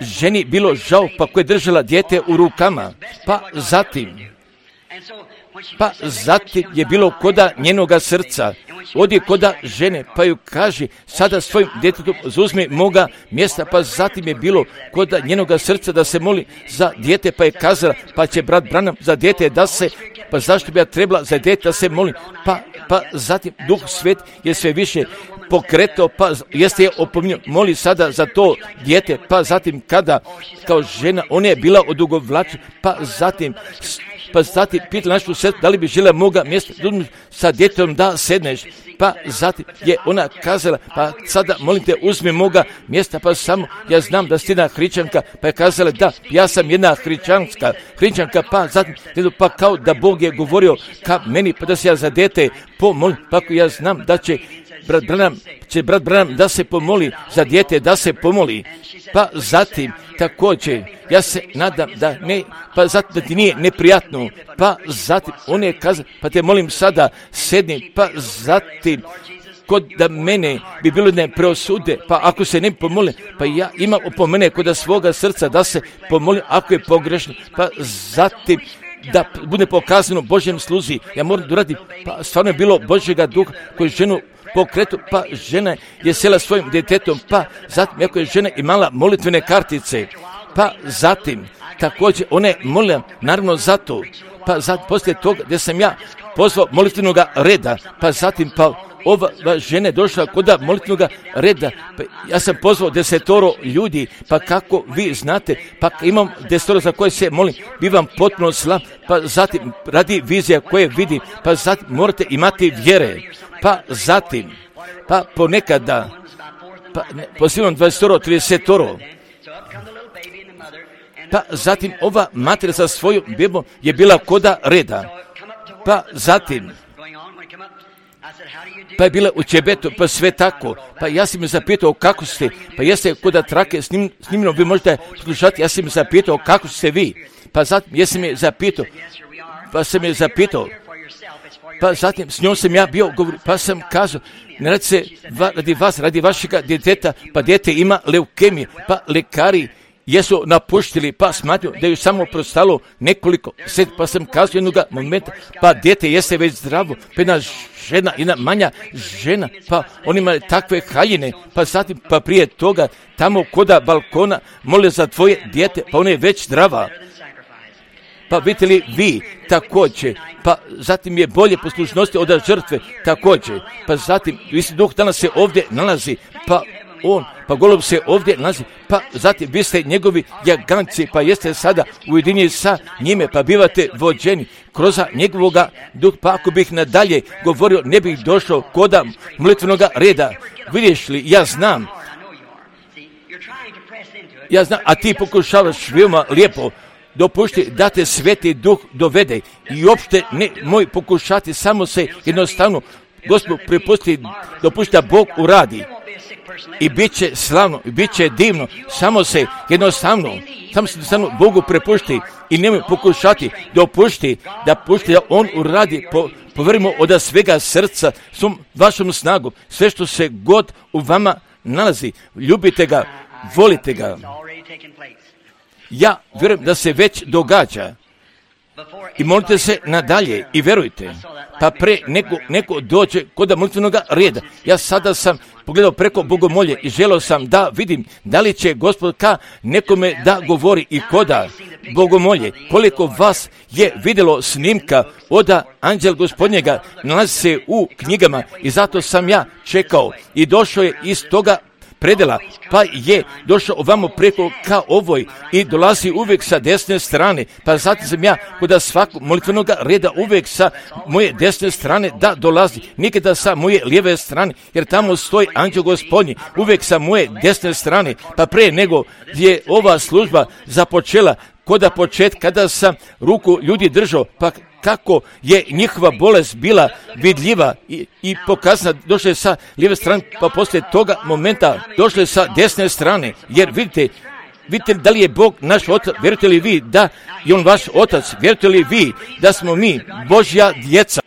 ženi bilo žao, pa koja je držala dijete u rukama, pa zatim, pa zatim je bilo koda njenoga srca, odi koda žene, pa ju kaže, sada svojim djetetom uzmi moga mjesta, pa zatim je bilo koda njenoga srca da se moli za dijete, pa je kazala, pa će brat Branham za dijete da se, pa zašto bi ja trebala za dijete da se molim, pa, pa zatim Duh Svet je sve više pokretao, pa jeste je opominjao, moli sada za to dijete, pa zatim kada kao žena, ona je bila odugovlačena, pa zatim pa zatim pitala našu sestru da li bi žela moga mjesta sa djetetom da sedneš, pa zatim je ona kazala, pa sada molim te uzmi moga mjesta, pa samo ja znam da si jedna hrišćanka, pa je kazala da ja sam jedna hrišćanska hrišćanka, pa zatim pa kao da Bog je govorio ka meni, pa da se ja za dete pomolim, pa ako ja znam da će brat Branham, će brat Branham da se pomoli za dijete, da se pomoli. Pa zatim, također, ja se nadam da ne, pa zatim da ti nije neprijatno, pa zatim, on je kazao, pa te molim sada, sedni, pa zatim, kod da mene bi bilo ne preosude, pa ako se ne pomoli, pa ja imam opomene kod svoga srca da se pomoli ako je pogrešno, pa zatim da bude pokazano Božjem sluzi, ja moram da radim, pa stvarno je bilo Božjega duha koji ženu pokretu, pa žena je sjela svojim djetetom, pa zatim ako je žena imala molitvene kartice, pa zatim također ona je molila naravno zato, pa zatim poslije toga gdje sam ja pozvao molitvenog reda, pa zatim pa ova žena je došla kod molitvenog reda, pa ja sam pozvao desetoro ljudi, pa kako vi znate, pa imam desetoro za koje se molim, bivam potpuno slab, pa zatim radi vizija koje vidim, pa zatim morate imati vjere, pa zatim, pa ponekada, pa pozivam dvadesetoro, tridesetoro, pa zatim ova mater sa svojom bebom je bila koda reda, pa zatim, pa je bila u Čebetu, pa sve tako, pa ja sam me zapitao kako ste, pa jeste kod trake snim, snimljeno, vi možete slušati, ja sam me zapitao kako ste vi, pa zatim jesam me zapitao, pa sam me zapitao, pa zatim s njom sam ja bio govor, pa sam kazao, ne radi se va, radi vas, radi vašega djeteta, pa dijete ima leukemije, pa lekari jesu napuštili, pa smatio da ju samo prostalo nekoliko set, pa sam kazao jednog momenta, pa dijete jeste već zdravo, pa jedna žena, jedna manja žena, pa on ima takve haljine, pa zatim, pa prije toga, tamo koda balkona, mole za tvoje dijete, pa ona je već zdrava. Pa vidite li vi također, pa zatim je bolje poslušnosti od žrtve također, pa zatim, isti duh danas se ovdje nalazi, pa on, pa golub se ovdje nalazi, pa zatim vi ste njegovi jaganci, pa jeste sada ujedinjeni sa njime, pa bivate vođeni kroz njegovoga duh, pa ako bih nadalje govorio, ne bih došao koda molitvenoga reda. Vidiš li, ja znam, ja znam, a ti pokušavaš veoma lijepo, dopušti da te Sveti Duh dovede i uopšte ne moj pokušati, samo se jednostavno Gospod prepusti, dopušti da Bog uradi i bit će slavno, i bit će divno, samo se jednostavno, samo se jednostavno Bogu prepušti i nemoj pokušati, dopušti da pušti da On uradi, po, poverimo od svega srca, svom vašom snagom, sve što se god u vama nalazi, ljubite ga, volite ga. Ja vjerujem da se već događa i molite se nadalje i verujte, pa pre neko, neko dođe kod molitvenog reda. Ja sada sam pogledao preko bogomolje i želio sam da vidim da li će Gospod ka nekome da govori i koda bogomolje. Koliko vas je vidjelo snimka od Anđel Gospodnjega, nalazi se u knjigama i zato sam ja čekao i došao je iz toga predela, pa je došao ovamo preko ka ovoj i dolazi uvijek sa desne strane, pa zatim sam ja kod svakog molitvenog reda uvijek sa moje desne strane da dolazi, nikada sa moje lijeve strane, jer tamo stoji Anđeo Gospodnji, uvijek sa moje desne strane, pa pre nego je ova služba započela, kod početka kada sam ruku ljudi držao, pa kako je njihova bolest bila vidljiva i, i pokazana, došle sa lijeve strane, pa poslije toga momenta došle sa desne strane, jer vidite, vidite da li je Bog naš otac, vjerujete li vi da je On vaš otac, vjerujete li vi da smo mi Božja djeca,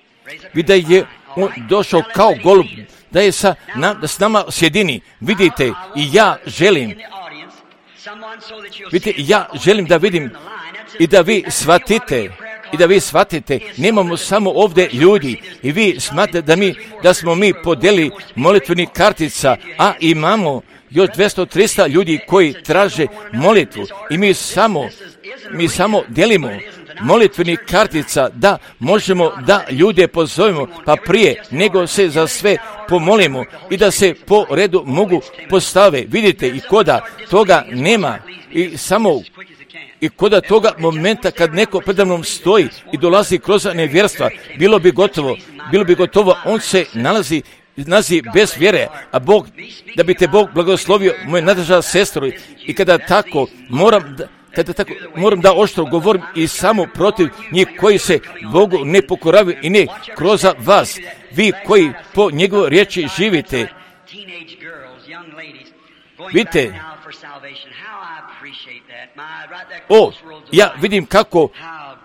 vidite da je On došao kao golub, da je sa, na, da s nama sjedini, vidite i ja želim, vidite, ja želim da vidim i da vi shvatite, i da vi shvatite, nemamo samo ovdje ljudi i vi smatrate da mi, da smo mi podeli molitvenih kartica, a imamo još dvjesto trista ljudi koji traže molitvu i mi samo, mi samo delimo molitvenih kartica da možemo da ljude pozovemo, pa prije nego se za sve pomolimo i da se po redu mogu postave. Vidite, i koda toga nema i samo i koda toga momenta kad neko predamnom stoji i dolazi kroz nevjerstva, bilo bi gotovo, bilo bi gotovo, on se nalazi nalazi bez vjere, a Bog, da bi te Bog blagoslovio, moje nadrža sestro, i kada tako moram da, kada tako moram da oštro govorim i samo protiv njih koji se Bogu ne pokoravaju i ne kroz vas, vi koji po njegovoj riječi živite. Vidite, o, ja vidim kako,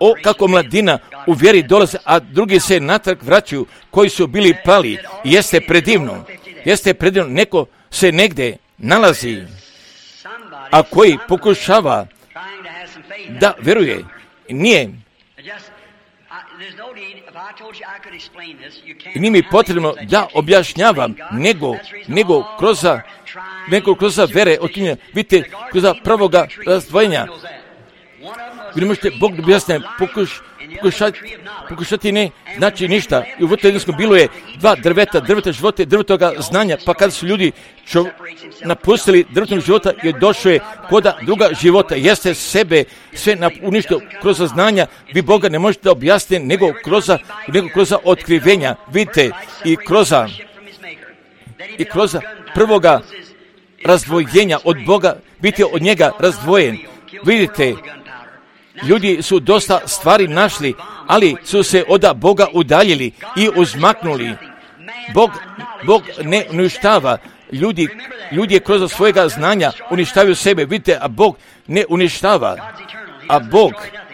o, kako mladina u vjeri dolaze, a drugi se natrag vraćaju koji su bili pali. Jeste predivno, jeste predivno, neko se negde nalazi, a koji pokušava da veruje, nije, nije mi potrebno da objašnjavam, nego, nego kroz, nego kroz vere, otinja, vidite, kroz prvoga razdvojenja. Vi ne možete Bog da objasne, pokuš, pokušati, pokušati ne znači ništa. I u Vatikanskom bilo je dva drveta, drveta života i drvetoga znanja, pa kada su ljudi čo, napustili drvetog života i došao je koda druga života, jeste sebe sve uništio kroz znanja, vi Boga ne možete objasniti nego kroz, nego kroz otkrivenja. Vidite, i kroz, i kroz prvoga razdvojenja od Boga, biti od njega razdvojen. Vidite, ljudi su dosta stvari našli, ali su se od Boga udaljili i uzmaknuli. Bog, Bog ne uništava. Ljudi, ljudi kroz svojega znanja uništavaju sebe. Vidite, a Bog ne uništava. A Bog,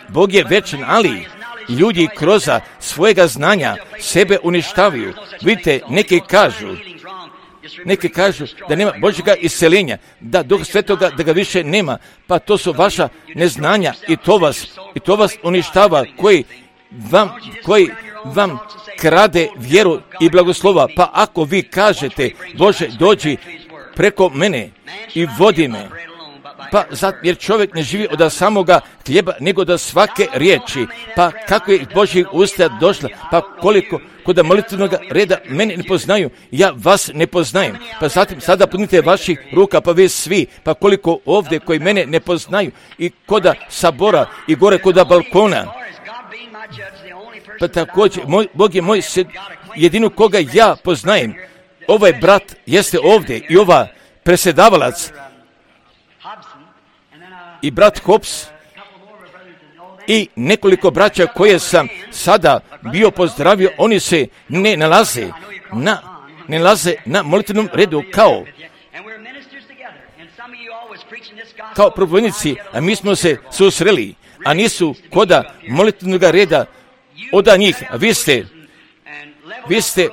Bog je večan, ali ljudi kroz svojega znanja sebe uništavaju. Vidite, neki kažu, neki kažu da nema Božjega isceljenja, da Duh Svetoga da ga više nema, pa to su vaša neznanja i to vas, i to vas uništava, koji vam, koji vam krade vjeru i blagoslova. Pa ako vi kažete, Bože, dođi preko mene i vodi me, pa zato, jer čovjek ne živi od samoga hljeba, nego da svake riječi. Pa kako je Božjih usta došla, pa koliko kod molitvenog reda mene ne poznaju, ja vas ne poznajem. Pa zatim sada punite vaših ruka, pa vi svi, pa koliko ovdje koji mene ne poznaju, i koda sabora, i gore koda balkona. Pa također, moj, Bog je moj sed, jedino koga ja poznajem. Ovaj brat jeste ovdje i ova presedavalac i brat Hobbs i nekoliko braća koje sam sada bio pozdravio, oni se ne nalaze na, ne nalaze na molitvenom redu kao kao propovjednici, a mi smo se susreli, a nisu koda molitvenog reda od njih. A vi ste, vi ste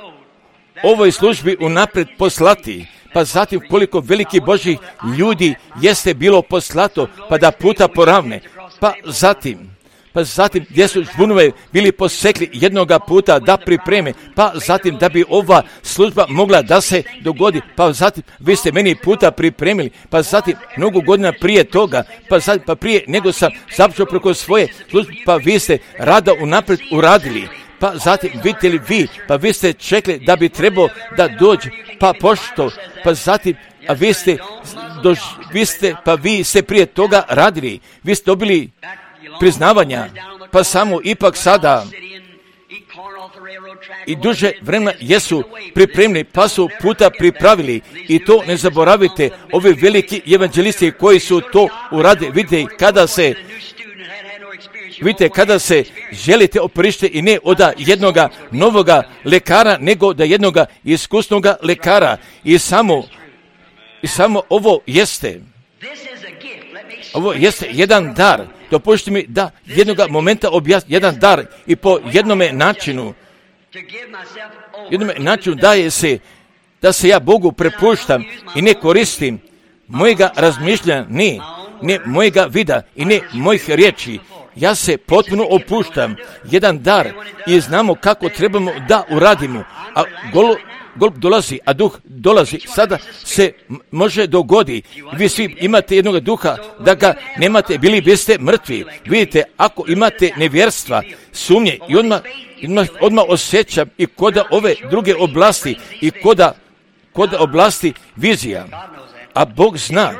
ovoj službi unaprijed poslati, pa zatim koliko veliki Božjih ljudi jeste bilo poslato, pa da puta poravne, pa zatim, pa zatim gdje su žbunove bili posekli jednoga puta da pripreme, pa zatim da bi ova služba mogla da se dogodi, pa zatim vi ste meni puta pripremili, pa zatim mnogo godina prije toga, pa zatim pa prije nego sam započeo preko svoje službe, pa vi ste rada unaprijed uradili. Pa zatim vidite li vi, pa vi ste čekali da bi trebao da dođe, pa pošto, pa zatim, a vi ste, dož, vi ste, pa vi ste prije toga radili, vi ste dobili priznavanja, pa samo ipak sada i duže vremena jesu pripremili, pa su puta pripravili, i to ne zaboravite, ovi veliki evanđelisti koji su to uradili. Vidite kada se Vidite, kada se želite operište i ne od jednoga novoga lekara, nego da jednoga iskusnoga lekara. I samo, i samo ovo jeste, ovo jeste jedan dar. Dopušti mi da jednoga momenta objasnim, jedan dar i po jednome načinu, jednome načinu daje se, da se ja Bogu prepuštam i ne koristim mojega razmišljanja, ne, ne mojega vida i ne mojih riječi. Ja se potpuno opuštam, jedan dar, i znamo kako trebamo da uradimo, a gol, gol dolazi, a duh dolazi, sada se može dogodi. Vi svi imate jednog duha, da ga nemate, bili biste mrtvi. Vidite, ako imate nevjerstva, sumnje, i odmah, odmah, odmah osjećam i koda ove druge oblasti, i koda, koda oblasti vizija. A Bog zna,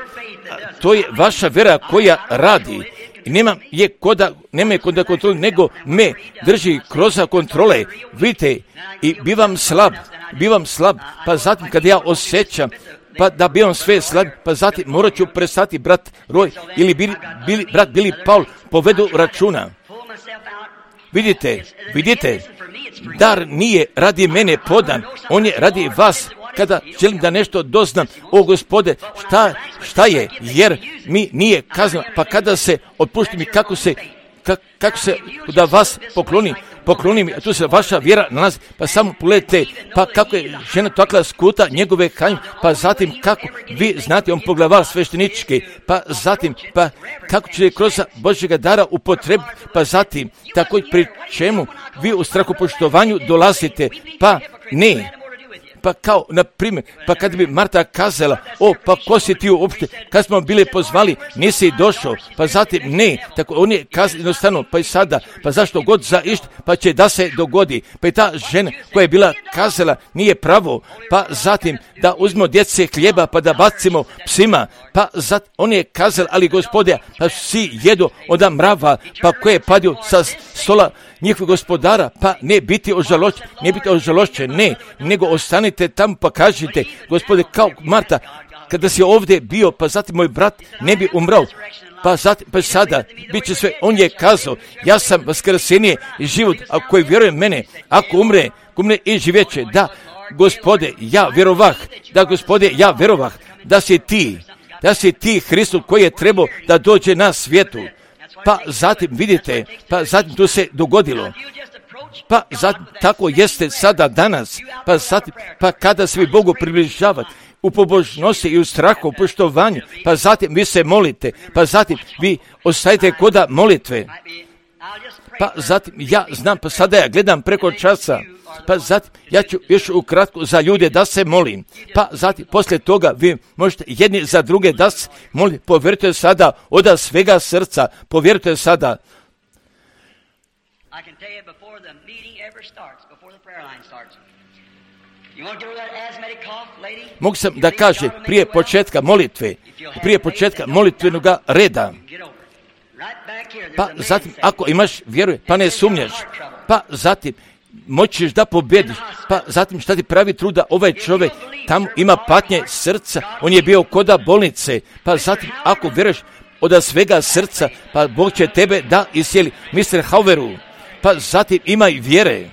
to je vaša vera koja radi. I nema je koda, nema je koda kontrole, nego me drži kroz kontrole. Vidite, i bivam slab, bivam slab, pa zatim kad ja osjećam pa da bi on sve slabi, pa zatim morat ću prestati brat Roy ili bili, bili, brat Billy Paul povedu računa. Vidite, vidite, dar nije radi mene podan, on je radi vas. Kada želim da nešto doznam, o Gospode, šta, šta je, jer mi nije kazno, pa kada se otpušti mi, kako se, kako, kako se, da vas pokloni, pokloni mi, a tu se vaša vjera nalazi, pa samo pogledajte, pa kako je žena takla skuta njegove kanjim, pa zatim kako, vi znate, on poglavar sveštenički, pa zatim, pa kako će kroz Božjega dara upotrebiti, pa zatim, tako pri čemu vi u strahopoštovanju dolazite, pa ne. Pa kao, na primjer, pa kad bi Marta kazala, o, pa ko si ti uopšte, kad smo bili pozvali, nisi došao, pa zatim ne, tako on je kazao jednostavno, pa i sada, pa zašto god za išta, pa će da se dogodi, pa i ta žena koja je bila kazala, nije pravo, pa zatim da uzmemo djece hljeba, pa da bacimo psima, pa zatim on je kazala, ali Gospode, pa svi jedu od mrava, pa ko je padio sa stola njihovih gospodara, pa ne biti ožalošćen, ne biti ožalošćen, ne, nego ostanite tamo pa kažite, Gospode, kao Marta, kada si ovdje bio, pa zatim moj brat ne bi umrao, pa zatim, pa sada, bit će sve, on je kazao, ja sam vaskrsenje i život, a koji vjeruje mene, ako umre, umre i živjeće, da, Gospode, ja vjerovah, da, Gospode, ja vjerovah, da si ti, da si ti Hristos koji je trebao da dođe na svijetu. Pa zatim vidite, pa zatim to se dogodilo. Pa zatim tako jeste sada danas. Pa zatim, pa kada se vi Bogu približavate u pobožnosti i u strahu, u poštovanju, pa zatim vi se molite, pa zatim vi ostajete koda molitve. Pa zatim ja znam, pa sada ja gledam preko časa, pa zatim ja ću još ukratko za ljude da se molim. Pa zatim poslije toga vi možete jedni za druge da se molite. Povjerujte sada od svega srca, povjerujte sada. Mogu sam da kaže prije početka molitve, prije početka molitvenog reda. Pa zatim ako imaš vjeru, pa ne sumnjaš, pa zatim moćeš da pobjediš, pa zatim šta ti pravi truda, ovaj čovjek tamo ima patnje srca, on je bio koda bolnice, pa zatim ako vjeruješ od svega srca, pa Bog će tebe da iscijeli. mister Hauveru, pa zatim imaj vjere.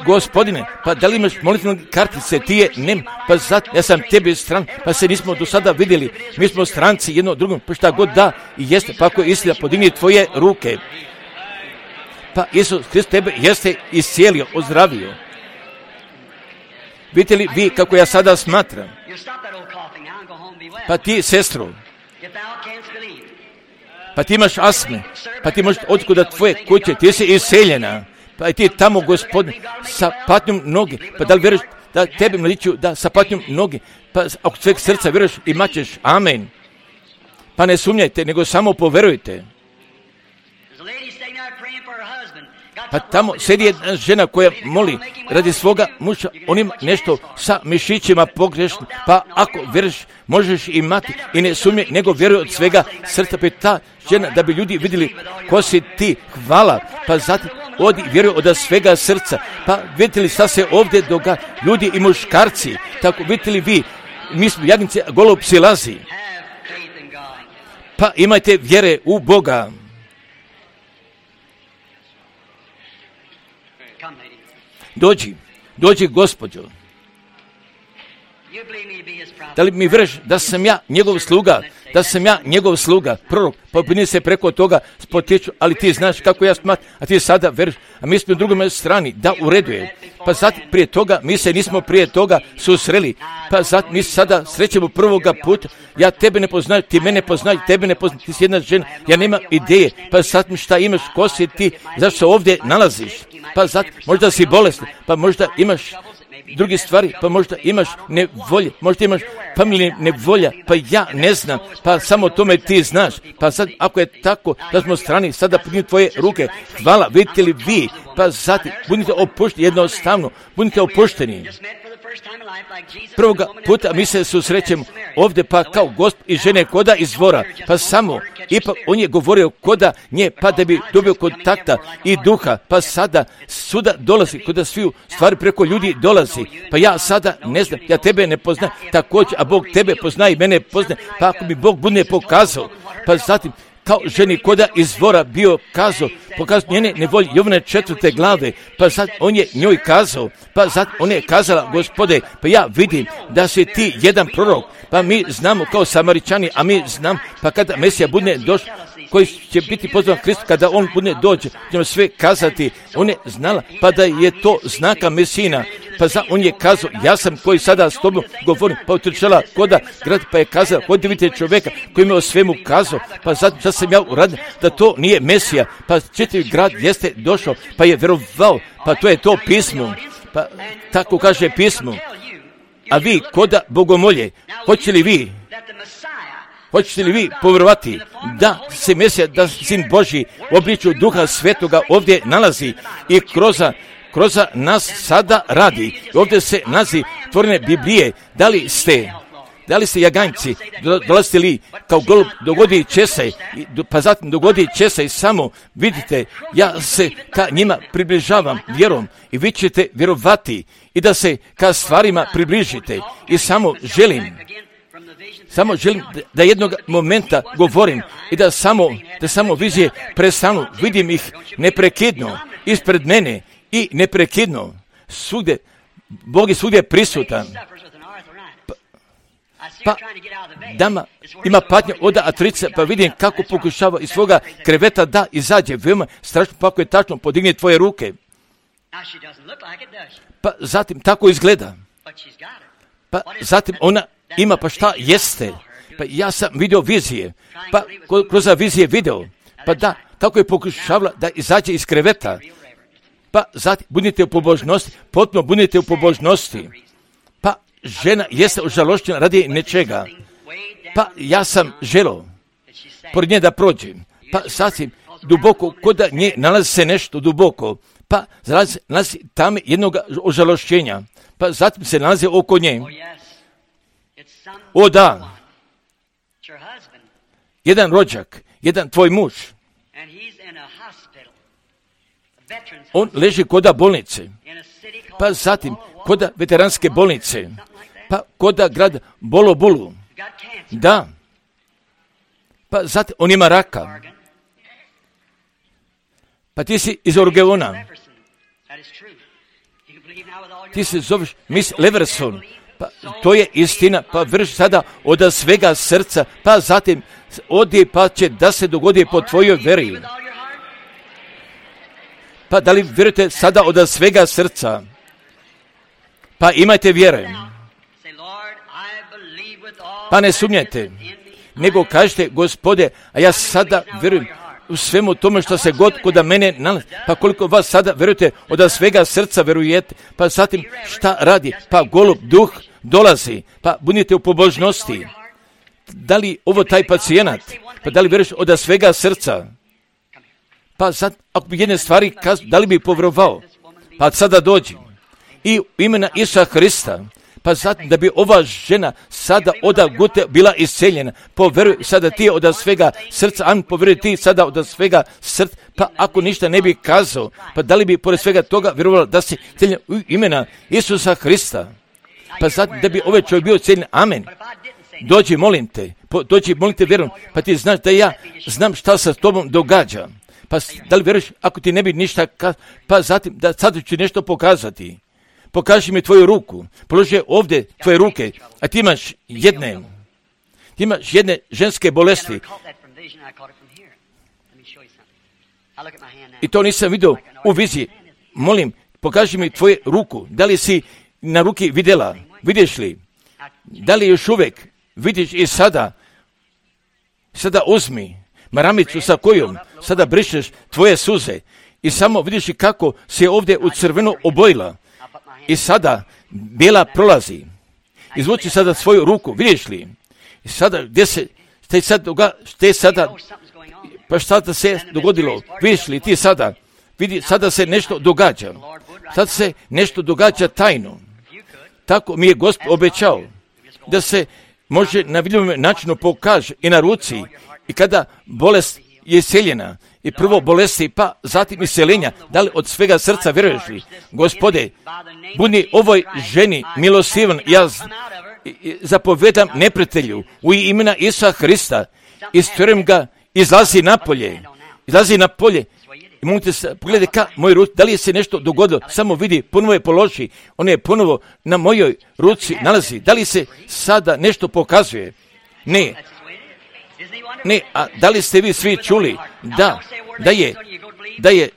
Gospodine, pa da li imaš molitvene kartice, ti je nem, pa zatim ja sam tebi stran, pa se nismo do sada vidjeli, mi smo stranci jedno drugom, pa šta god da i jeste, pa ako je istina, podigni tvoje ruke. Pa Isus Hrist tebe jeste iscijelio, ozdravio. Vidite li vi kako ja sada smatram? Pa ti, sestro, pa ti imaš asme, pa ti možeš otići kod tvoje kuće, ti si iseljena, pa i ti tamo, Gospodine, sa patnjom noge, pa da li vjeruješ da tebe mladiću, da sa patnjom noge, pa ako sveg srca vjeruješ, imat ćeš, amen. Pa ne sumnjajte, nego samo poverujte. Pa tamo sjedi jedna žena koja moli radi svoga muža, on ima nešto sa mišićima pogrešno, pa ako vjeruješ, možeš imati i ne sumnje, nego vjeruje od svega srca, pa ta žena da bi ljudi vidjeli ko si ti, hvala, pa zatim odi vjeruje od svega srca, pa vidite li šta se ovdje događa, ljudi i muškarci, tako vidite li vi, mi smo jagnice, golob silazi, pa imajte vjere u Boga. Dođi, dođi gospođo. Da li mi vjeruješ da sam ja njegov sluga, da sam ja njegov sluga, prorok, pa brini se preko toga spotječu, ali ti znaš kako ja smatram, a ti sada vjeruješ, a mi smo u drugom strani, da u redu je. Pa zatim prije toga, mi se nismo prije toga susreli, pa zatim mi sada srećemo prvoga puta, ja tebe ne poznaju, ti mene poznaju, tebe ne poznaju, ti si jedna žena, ja nemam ideje, pa zatim šta imaš, ko si ti, zašto se ovdje nalaziš, pa zatim možda si bolestan, pa možda imaš druge stvari, pa možda imaš nevolje, možda imaš familije nevolja, pa ja ne znam, pa samo tome ti znaš, pa sad ako je tako da smo strani, sada pogni tvoje ruke, hvala, vidite li vi, pa zatim budite opušteni, jednostavno, budite opušteni. Prvoga puta mi se susrećemo ovdje pa kao gosp i žene koda izvora, pa samo, ipak on je govorio koda nje, pa da bi dobio kontakta i duha, pa sada suda dolazi, koda sviju stvari preko ljudi dolazi, pa ja sada ne znam, ja tebe ne poznam, također, a Bog tebe pozna i mene pozna, pa ako mi Bog bude pokazao, pa zatim, kao ženi koda izvora bio kazao, pokazao njene nevolje Jovane četvrte glave, pa sad on je njoj kazao, pa sad on je kazala, Gospode, pa ja vidim da si ti jedan prorok, pa mi znamo kao Samaričani, a mi znam, pa kada Mesija bude došao, koji će biti pozvan Hristu, kada on bude dođe, ćemo sve kazati, on je znala, pa da je to znaka Mesina, pa za, on je kazao, ja sam koji sada s tobom govorim, pa utrčala koda grad, pa je kazala, hodite vidite čovjeka koji mi o svemu kazao, pa zato što sam ja uradio, da to nije Mesija, pa čitav grad jeste došao, pa je vjerovao, pa to je to pismo, pa tako kaže pismo, a vi koda bogomolje, hoće li vi Hoćete li vi povjerovati da se Mesija, da Sin Božji u obličju Duha Svetoga ovdje nalazi i kroz, kroz nas sada radi. Ovdje se nalazi tvorene Biblije. Da li ste, da li ste jaganjci, dolazite li kao golub, dogodi će se, pa zatim dogodi će se i samo vidite, ja se ka njima približavam vjerom i vi ćete vjerovati i da se ka stvarima približite i samo želim Samo želim da jednog momenta govorim i da samo, da samo vizije prestanu. Vidim ih neprekidno ispred mene i neprekidno. Svugdje, Bog je svugdje prisutan. Pa, pa dama ima patnje od artrice, pa vidim kako pokušava iz svoga kreveta da izađe. Veoma strašno, pa ako je tačno, podigne tvoje ruke. Pa zatim tako izgleda. Pa zatim ona ima, pa šta jeste? Pa ja sam vidio vizije, pa kroz vizije video, pa da, tako je pokušavala da izađe iz kreveta. Pa zatim budite u pobožnosti, potpuno budite u pobožnosti. Pa žena jeste užalošćena radi nečega. Pa ja sam želio pored nje da prođem. Pa zatim duboko, kod da nje nalazi se nešto duboko. Pa nalazi, nalazi tamo jednog užalošćenja. Pa zatim se nalazi oko nje. O da, jedan rođak, jedan tvoj muž, on leži koda bolnice, pa zatim koda veteranske bolnice, pa koda grad Bolobulu, da, pa zatim on ima raka, pa ti si iz Oregona, ti se zoveš Miss Leverson, pa to je istina, pa vrši sada od svega srca, pa zatim odi pa će da se dogodi po tvojoj veri. Pa da li vjerujete sada od svega srca? Pa imajte vjere. Pa ne sumnjajte, nego kažete, Gospode, a ja sada vjerujem u svemu tome što se god kod mene nalazi. Pa koliko vas sada vjerujete od svega srca vjerujete, pa zatim šta radi? Pa golub duh dolazi, pa budite u pobožnosti. Da li ovo taj pacijenat? Pa da li vjeruješ od svega srca? Pa sad, ako bi jedne stvari kazao, da li bi povjerovao? Pa sada dođi. I u imena Isusa Hrista, pa zatim da bi ova žena sada oda gute bila isceljena. Povjeruj sada ti od svega srca, amen, povjeruj ti sada od svega srca, pa ako ništa ne bi kazao, pa da li bi pored svega toga vjerovala da si isceljen u imena Isusa Hrista? Pa zatim da bi ovaj čovjek bio isceljen, amen. Dođi, molim te, po, dođi, molim te, vjerujem, pa ti znaš da ja znam šta se s tobom događa. Pa da li vjeruješ, ako ti ne bi ništa kazao, pa zatim da sad ću nešto pokazati. Pokaži mi tvoju ruku, položi ovdje tvoje ruke, a ti imaš jedne, ti imaš jedne ženske bolesti. I to nisam vidio u viziji. Molim, pokaži mi tvoju ruku, da li si na ruki vidjela, vidiš li, da li još uvijek vidiš i sada, sada uzmi maramicu sa kojom sada brišeš tvoje suze i samo vidiš kako se ovdje u crveno obojila. I sada bijela prolazi. Izvuči sada svoju ruku, vidiš li? I sada gdje se, šta sad doga, šta sada, pa šta se dogodilo? Vidiš li ti sada? Vidi, sada se nešto događa. Sada se nešto događa tajno. Tako mi je Gospod obećao da se može na vidljivom načinu pokaže i na ruci i kada bolest je iseljena i prvo bolesti pa zatim iseljenja, da li od svega srca vjeruješ li? Gospode, budi ovoj ženi milosivan, ja zapovedam neprijatelju u imena Isusa Hrista, istjerujem ga, izlazi napolje, izlazi napolje. I možete se pogledati ka moj ruci, da li je se nešto dogodilo, samo vidi, ponovo je položi, on je ponovo na mojoj ruci nalazi, da li se sada nešto pokazuje? Ne, ne, a da li ste vi svi čuli da, da je, da je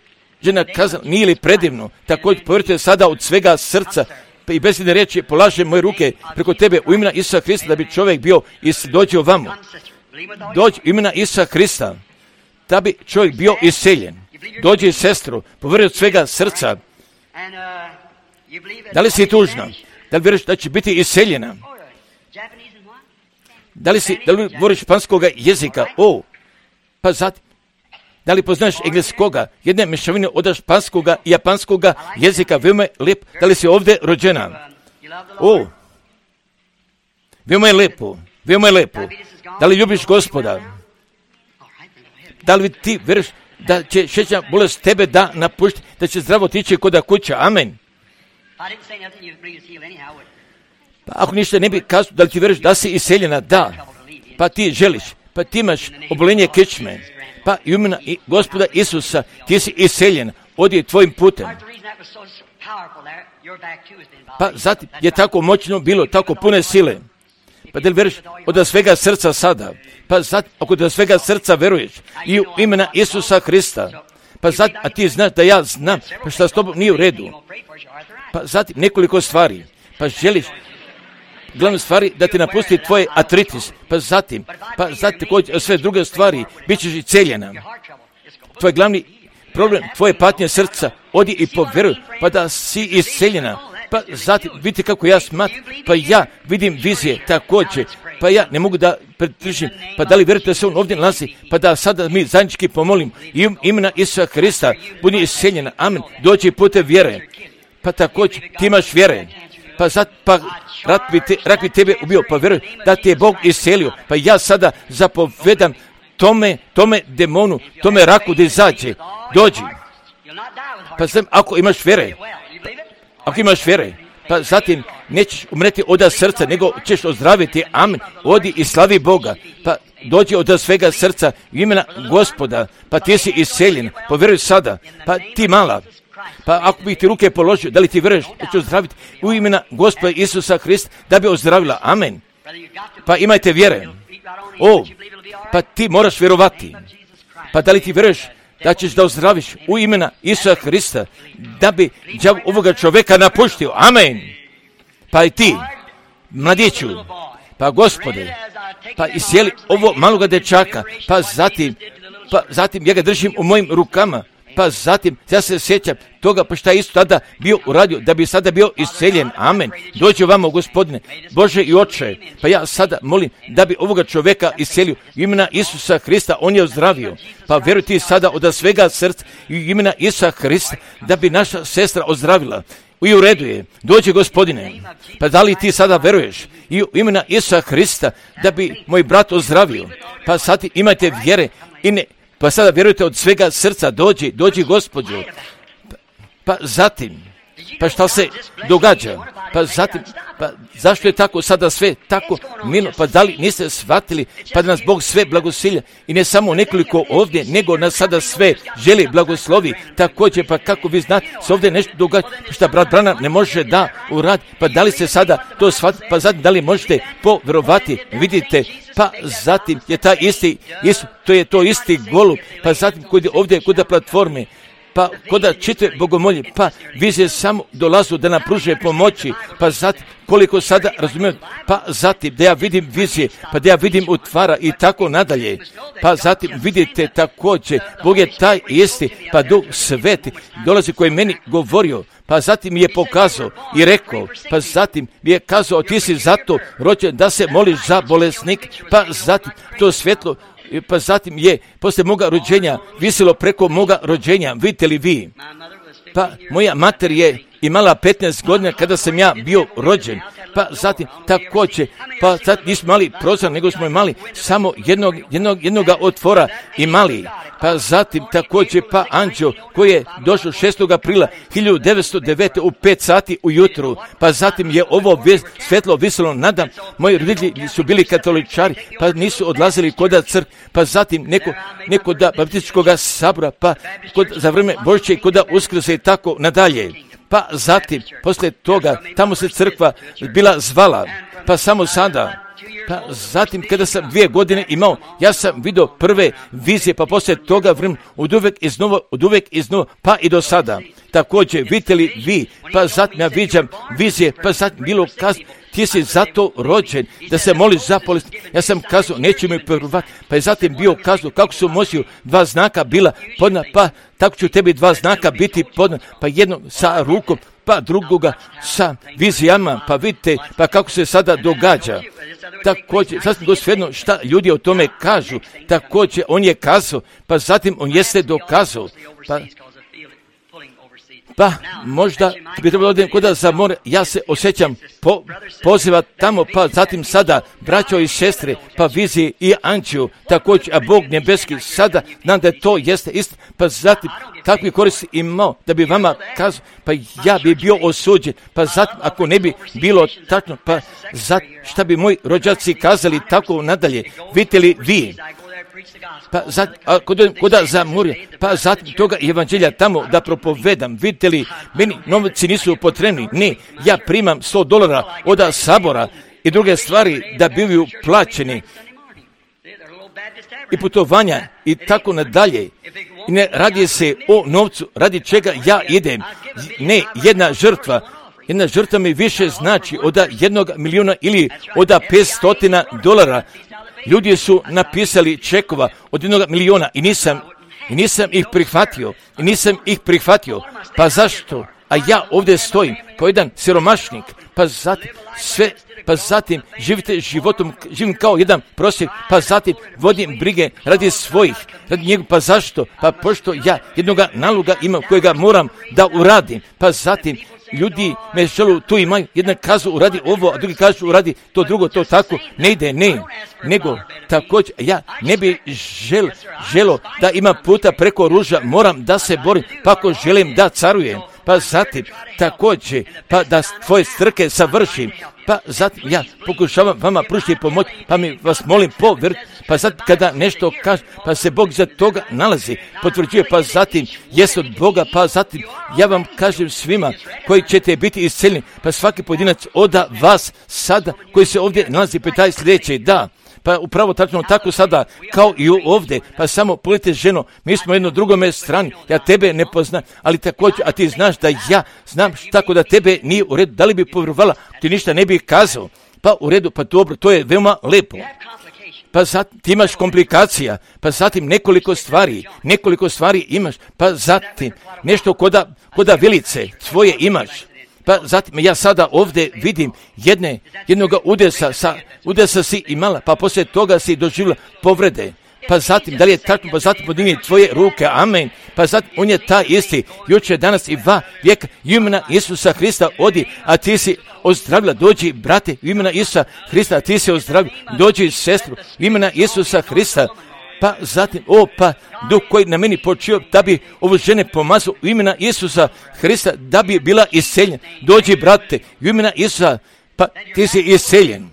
žena kazala, nije li predivno, također povjerite sada od svega srca i bez jedne riječi polažem moje ruke preko tebe u imena Isusa Hrista da bi čovjek bio i dođe ovamo. Dođi u imena Isusa Hrista da bi čovjek bio iseljen. Dođi sestru, povjeri od svega srca. Da li si tužna? Da li vjeruješ da će biti iseljena? Da li si, da li govoriš španskoga jezika? O, pa zatim, da li poznaš engleskoga? Jedne mješavine od španskoga i japanskoga jezika, veoma je lijep. Da li si ovdje rođena? O, veoma je lijepo, veoma je lijepo. Da li ljubiš Gospoda? Da li ti vjeruješ da će šećerna bolest tebe da napušti, da će zdravo tići kod kuća? Amen. Pa ako ništa ne bi kazao, da li ti vjeruješ da si iseljena? Da. Pa ti želiš, pa ti imaš obolenje kičme. Pa i imena i Gospoda Isusa, ti si iseljen, odi tvojim putem. Pa zatim je tako moćno bilo, tako pune sile. Pa da li vjeruješ od svega srca sada? Pa zatim, ako od svega srca vjeruješ i u imena Isusa Hrista, pa zatim, a ti znaš da ja znam, pa šta s tobom nije u redu. Pa zatim nekoliko stvari, pa želiš glavne stvari da ti napusti tvoj artritis, pa zatim, pa zatim također sve druge stvari, bit ćeš i cijeljena. Tvoj glavni problem, tvoje patnje srca, odi i povjeruj, pa da si isceljena. Pa zatim, vidite kako ja smatram, pa ja vidim vizije također, pa ja ne mogu da pretržim, pa da li vjerujete da se on ovdje nalazi, pa da sada mi zajednički pomolim i imena Isusa Hrista, budi isceljena, amen, dođi putem vjere, pa također ti imaš vjere. Pa zat, pa rak bi, te, rak bi tebe ubio, pa vjeruj da ti je Bog iscelio, pa ja sada zapovedam tome, tome demonu, tome raku da izađe, dođi. Pa znam, ako imaš vjere, ako imaš vjere, pa zatim nećeš umreti od srca, nego ćeš ozdraviti, amen, odi i slavi Boga, pa dođi od svega srca u imena Gospoda, pa ti si isceljen, povjeruj sada, pa ti mala. Pa ako bih ti ruke položio, da li ti vjeruješ da će ozdraviti u imena Gospoda Isusa Hrista da bi ozdravila? Amen. Pa imajte vjere. O, pa ti moraš vjerovati. Pa da li ti vjeruješ da ćeš da ozdraviš u imena Isusa Hrista da bi đavo ovoga čovjeka napuštio? Amen. Pa i ti, mladiću, pa Gospode, pa isjeli ovo maloga dečaka, pa zatim, pa zatim ja ga držim u mojim rukama. Pa zatim, ja se sjećam toga, pa šta je isto tada bio uradio, da bi sada bio isceljen. Amen. Dođi ovamo, Gospodine, Bože i Oče. Pa ja sada molim da bi ovoga čovjeka iscelio imena Isusa Hrista, on je ozdravio. Pa vjeruj ti sada od svega srca i imena Isusa Hrista da bi naša sestra ozdravila. I u redu je. Dođi, Gospodine. Pa da li ti sada vjeruješ i u imena Isusa Hrista da bi moj brat ozdravio? Pa sad imajte vjere i ne... Pa sada vjerujte od svega srca, dođi, dođi Gospođo. Pa, pa zatim, pa šta se događa? Pa zatim, pa zašto je tako sada sve tako milo? Pa da li niste shvatili, pa da nas Bog sve blagosilja i ne samo nekoliko ovdje, nego nas sada sve želi blagoslovi. Također, pa kako vi znate, se ovdje nešto događa, šta brat Branham ne može da uradi, pa da li se sada to shvatili, pa zatim da li možete povjerovati, vidite, pa zatim je taj isti, isti, to je to isti golub, pa zatim kod je ovdje kod platforme, pa kod čite bogomolje, pa vizije samo dolazu da nam pruže pomoći, pa zatim koliko sada razumijem, pa zatim da ja vidim vizije, pa da ja vidim utvara i tako nadalje, pa zatim vidite također, Bog je taj isti, pa Duh Sveti dolazi koji meni govorio, pa zatim mi je pokazao i rekao, pa zatim mi je kazao, ti si zato rođen da se moliš za bolesnik, pa zatim to svjetlo, pa zatim je poslije moga rođenja visilo preko moga rođenja, vidite li vi? Pa moja mater je imala petnaest godina kada sam ja bio rođen, pa zatim također, pa sad nismo imali prozor, nego smo imali samo jednog, jednog, jednoga otvora imali. Pa zatim također pa anđeo koji je došao šestog aprila hiljadu devetsto devete u pet sati ujutru, pa zatim je ovo svjetlo visilo nadam. Moji roditelji su bili katoličari, pa nisu odlazili kod crkve, pa zatim neko, neko da baptističkog sabora, pa kod, za vrijeme Božića i kod Uskrsa i tako nadalje. Pa zatim, poslije toga, tamo se crkva bila zvala, pa samo sada. Pa zatim, kada sam dvije godine imao, ja sam vidio prve vizije, pa poslije toga vrem od uvijek iznova, od uvijek iznova, pa i do sada. Također, vidite li vi, pa zatim ja viđam vizije, pa zatim bilo kazano, ti si zato rođen, da se moliš za bolest. Ja sam kazao, neću mi povjerovati, pa je zatim bio kazao, kako su Mojsiju dva znaka bila podna, pa tako ću tebi dva znaka biti podna, pa jedno sa rukom, pa drugoga sa vizijama, pa vidite, pa kako se sada događa. Također, sasvim go svejedno šta ljudi o tome kažu, također on je kazao, pa zatim on jeste dokazao, pa Pa možda bi trebalo odem kuda za more, ja se osjećam po, poziva tamo, pa zatim sada braćo i sestre, pa viziji i anđeo, također, a Bog nebeski sada, znam da to jeste isto, pa zatim kakvi koristi imao da bi vama kazao, pa ja bi bio osuđen, pa zatim ako ne bi bilo tačno, pa zatim šta bi moji rođaci kazali tako nadalje, vidite li vi? Pa zatim, ako dođem kuda za more, pa zatim toga evanđelja tamo da propovedam, vidite li, meni novci nisu potrebni, ne, ja primam sto dolara od sabora i druge stvari da bivaju plaćeni i putovanja i tako nadalje. I ne radi se o novcu, radi čega ja idem, ne jedna žrtva. Jedna žrtva mi više znači od jednog milijuna ili od petstotina dolara. Ljudi su napisali čekova od jednog milijuna i nisam, i nisam ih prihvatio. I nisam ih prihvatio. Pa zašto? A ja ovdje stojim kao jedan siromašnik. Pa zatim sve, pa zatim živite životom, živim kao jedan prosjek, pa zatim vodim brige radi svojih, radi njega. Pa zašto? Pa pošto ja jednoga naloga imam kojega moram da uradim. Pa zatim ljudi me želu, tu imaju, jedna kažu uradi ovo, a drugi kažu uradi to drugo, to tako, ne ide, ne, nego također, ja ne bi žel, želo da imam puta preko ruža, moram da se borim, pa ako želim da carujem, pa zatim također, pa da tvoje strke savršim, pa zatim ja pokušavam vama pružiti pomoć, pa mi vas molim povjer, pa zatim kada nešto kaže, pa se Bog za toga nalazi, potvrđuje, pa zatim jest od Boga, pa zatim ja vam kažem svima koji ćete biti isceljeni, pa svaki pojedinac od vas sada koji se ovdje nalazi, pitaj sljedeće, da, pa upravo tačno tako sada kao i ovdje, pa samo pogledajte ženo, mi smo jedno drugome strani, ja tebe ne poznam, ali također, a ti znaš da ja znam tako da tebe nije u redu, da li bi povjerovala, ti ništa ne bi kazao, pa u redu, pa dobro, to je veoma lepo. Pa zatim ti imaš komplikacija, pa zatim nekoliko stvari, nekoliko stvari imaš, pa zatim nešto koda, koda vilice tvoje imaš. Pa zatim ja sada ovdje vidim jedne, jednoga udesa, sa, udesa si imala, pa poslije toga si doživjela povrede. Pa zatim, da li je tako, pa zatim podigni tvoje ruke, amen. Pa zatim, on je taj isti, jučer, danas i dva vijeka, imena Isusa Hrista odi, a ti si ozdravila, dođi, brate, imena Isusa Hrista, a ti si ozdravila, dođi, sestru, imena Isusa Hrista. Pa zatim, o, pa, duh koji na meni počeo da bi ovo žene pomazao u imena Isusa Hrista, da bi bila isceljen. Dođi, brate, u imena Isusa, pa ti si isceljen.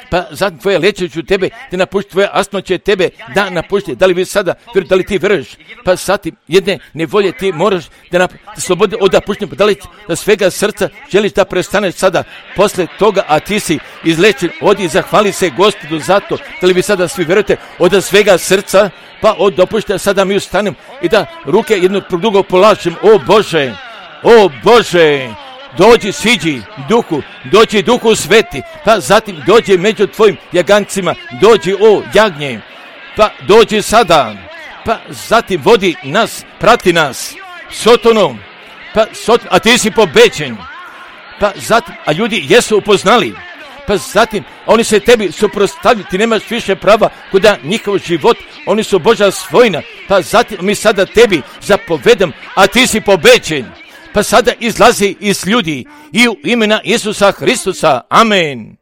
Pa zatim tvoje leće ću tebe da napušti, tvoje astma će tebe da napušti. Da li vi sada, da li ti veruješ? Pa zatim jedne nevolje ti moraš da, nap, da slobode od napuštenja. Pa da li da svega srca želiš da prestaneš sada posle toga, a ti si izlečen, odi i zahvali se Gospodu za to. Da li vi sada svi verujete od svega srca, pa od dopuštenja sada mi ustanem i da ruke jedno drugo polažem. O Bože, o Bože, dođi, siđi duhu, dođi duhu sveti, pa zatim dođi među tvojim jagancima, dođi o jagnje, pa dođi sada, pa zatim vodi nas, prati nas, Sotonom, pa Soton, a ti si pobeđen, pa zatim, a ljudi jesu upoznali, pa zatim, oni se tebi suprotstavljaju, ti nemaš više prava kuda njihov život, oni su Božja svojina, pa zatim mi sada tebi zapovedam, a ti si pobeđen. pa sada izlazi iz ljudi i u imena Isusa Hristusa. Amen.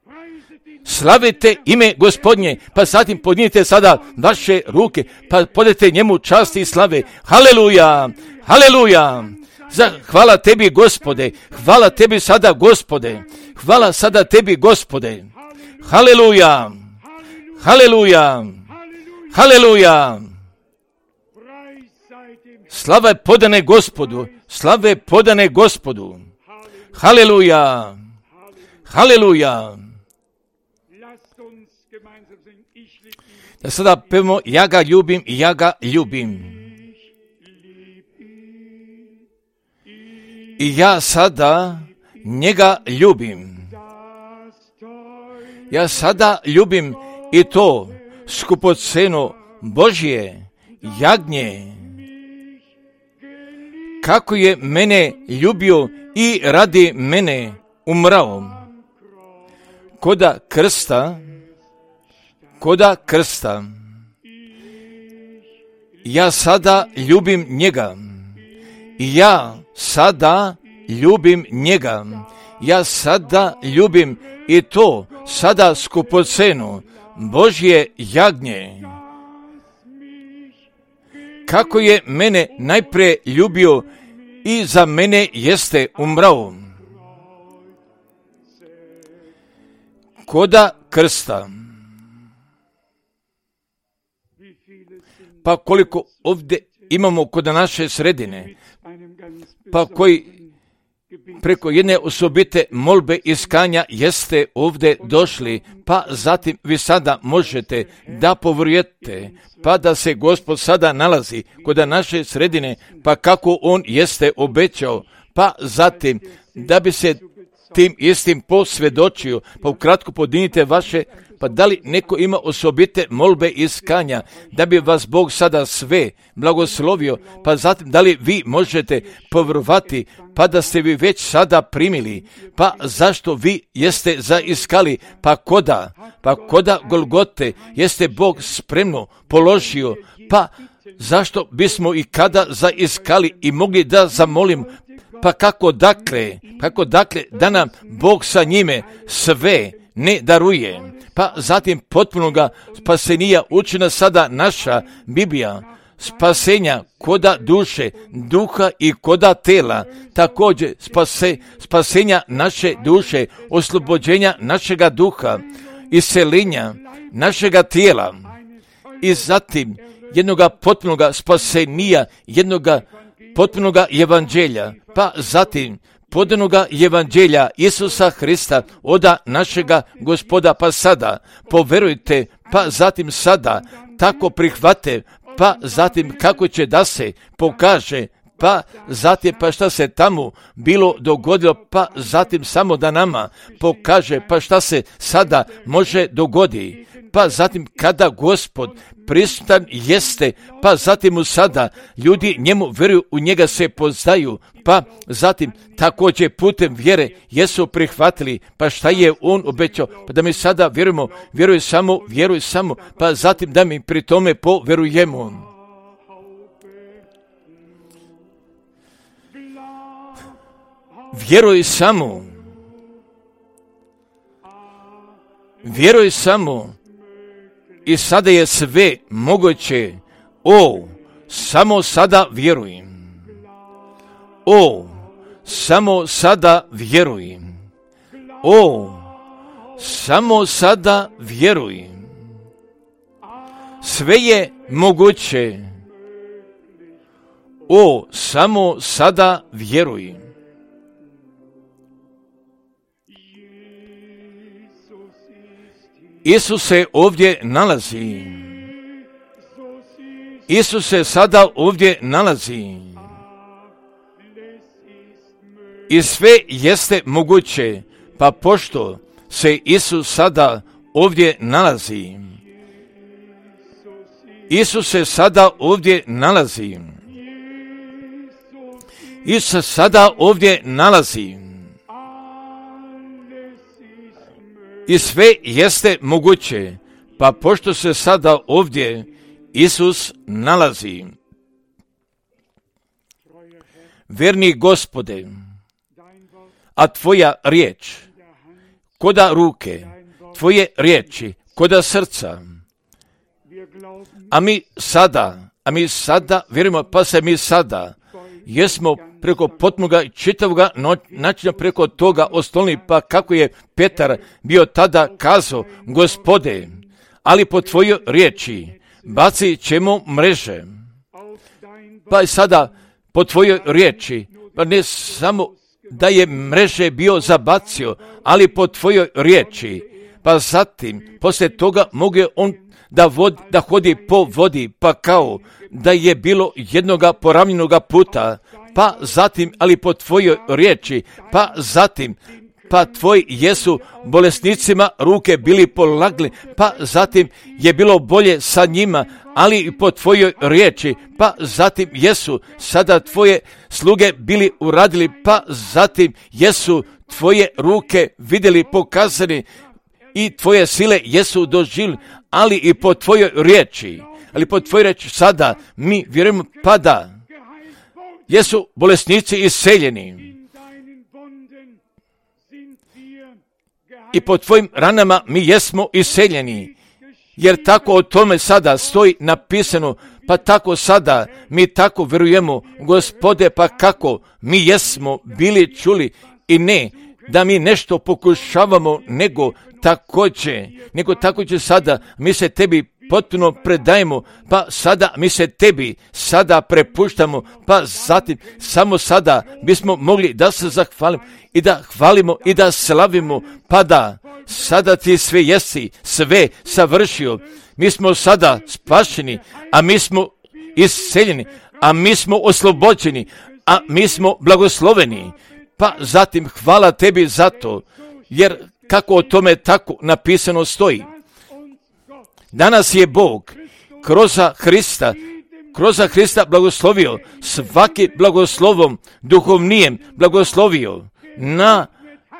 Slavite ime Gospodnje, pa zatim podnijete sada vaše ruke, pa podajte njemu čast i slave. Haleluja, haleluja. Hvala tebi, Gospode, hvala tebi sada, Gospode, hvala sada tebi, Gospode. Haleluja, haleluja, haleluja. Slave podane Gospodu, slave podane Gospodu. Haleluja, haleluja. Da sada pevamo, ja ga ljubim, ja ga ljubim. I ja sada njega ljubim. Ja sada ljubim i to skupoceno Božje jagnje. Kako je mene ljubio i radi mene umrao. Koda krsta, koda krsta. Ja sada ljubim njega. Ja sada ljubim njega. Ja sada ljubim i to sada skupocenu Božje jagnje. Kako je mene najprije ljubio i za mene jeste umrao. Koda krsta. Pa koliko ovdje imamo kod naše sredine, pa koji preko jedne osobite molbe iskanja jeste ovdje došli, pa zatim vi sada možete da povjerujete, pa da se Gospod sada nalazi kod naše sredine, pa kako on jeste obećao, pa zatim da bi se tim istim posvjedočio, pa ukratko podinite vaše, pa da li neko ima osobite molbe iskanja, da bi vas Bog sada sve blagoslovio, pa zatim da li vi možete povjerovati, pa da ste vi već sada primili, pa zašto vi jeste zaiskali, pa koda, pa koda Golgote jeste Bog spremno položio, pa zašto bismo i kada zaiskali i mogli da zamolim, pa kako dakle, kako dakle da nam Bog sa njime sve ne daruje, pa zatim potpunoga spasenija učina sada naša Biblija, spasenja koda duše, duha i koda tela, također spase, spasenja naše duše, oslobođenja našega duha, iseljenja našega tijela i zatim jednoga potpunoga spasenija, jednoga potpunoga evanđelja, pa zatim podanoga evanđelja Isusa Hrista oda našega Gospoda, pa sada poverujte, pa zatim sada tako prihvate, pa zatim kako će da se pokaže, pa zatim pa šta se tamo bilo dogodilo, pa zatim samo da nama pokaže, pa šta se sada može dogoditi, pa zatim kada Gospod prisutan jeste, pa zatim mu sada ljudi njemu vjeruju, u njega se poznaju, pa zatim također putem vjere jesu prihvatili, pa šta je on obećao, pa da mi sada vjerujemo, vjeruj samo, vjeruj samo, pa zatim da mi pri tome povjerujemo. Vjeruj samo, vjeruj samo i sada je sve moguće. O, samo sada vjerujem. O, samo sada vjerujem. O, samo sada vjerujem. Sve je moguće. O, samo sada vjerujem. Isus se ovdje nalazi. Isus se sada ovdje nalazi. I sve jeste moguće, pa pošto se Isus sada ovdje nalazi. Isus se sada ovdje nalazi. Isus se sada ovdje nalazi. I sve jeste moguće, pa pošto se sada ovdje Isus nalazi. verni Gospode, a Tvoja riječ koda ruke, Tvoje riječi koda srca. A mi sada, a mi sada, vjerujemo, pa se mi sada, jesmo preko potmoga i čitavoga načina preko toga ostolni, pa kako je Petar bio tada kazao, Gospode, ali po Tvojoj riječi bacit ćemo mreže. Pa i sada po Tvojoj riječi, pa ne samo da je mreže bio zabacio, ali po Tvojoj riječi, pa zatim, poslije toga mogu on da, vod, da hodi po vodi, pa kao da je bilo jednoga poravnjenoga puta, pa zatim, ali po Tvojoj riječi, pa zatim, pa Tvoji jesu bolesnicima ruke bili polagli, pa zatim je bilo bolje sa njima, ali i po Tvojoj riječi, pa zatim jesu sada Tvoje sluge bili uradili, pa zatim jesu Tvoje ruke vidjeli pokazani i Tvoje sile jesu doživjeli, ali i po Tvojoj riječi, ali po Tvojoj riječi sada mi vjerujemo pa da jesu bolesnici iseljeni. I po Tvojim ranama mi jesmo iseljeni, jer tako o tome sada stoji napisano, pa tako sada mi tako vjerujemo, Gospode, pa kako mi jesmo bili čuli i ne da mi nešto pokušavamo, nego također, nego također sada mi se Tebi potpuno predajemo, pa sada mi se Tebi sada prepuštamo, pa zatim samo sada bismo mogli da se zahvalimo i da hvalimo i da slavimo, pa da sada Ti sve jesi, sve savršio, mi smo sada spašeni, a mi smo isceljeni, a mi smo oslobođeni, a mi smo blagosloveni, pa zatim hvala Tebi za to, jer kako o tome tako napisano stoji. Danas je Bog kroz Hrista, kroz Hrista blagoslovio svaki blagoslovom duhovnijem blagoslovio na,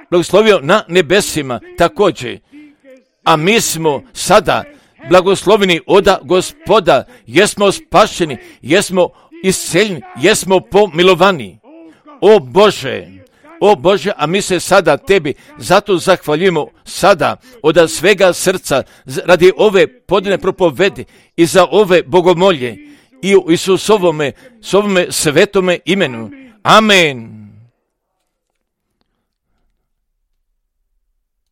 blagoslovio na nebesima također. A mi smo sada blagosloveni oda Gospoda, jesmo spašeni, jesmo isceljeni, jesmo pomilovani. O Bože, o Bože, a mi se sada Tebi zato zahvaljujemo sada od svega srca radi ove podne propovedi i za ove bogomolje i u Isusovome, svome svetome imenu. Amen.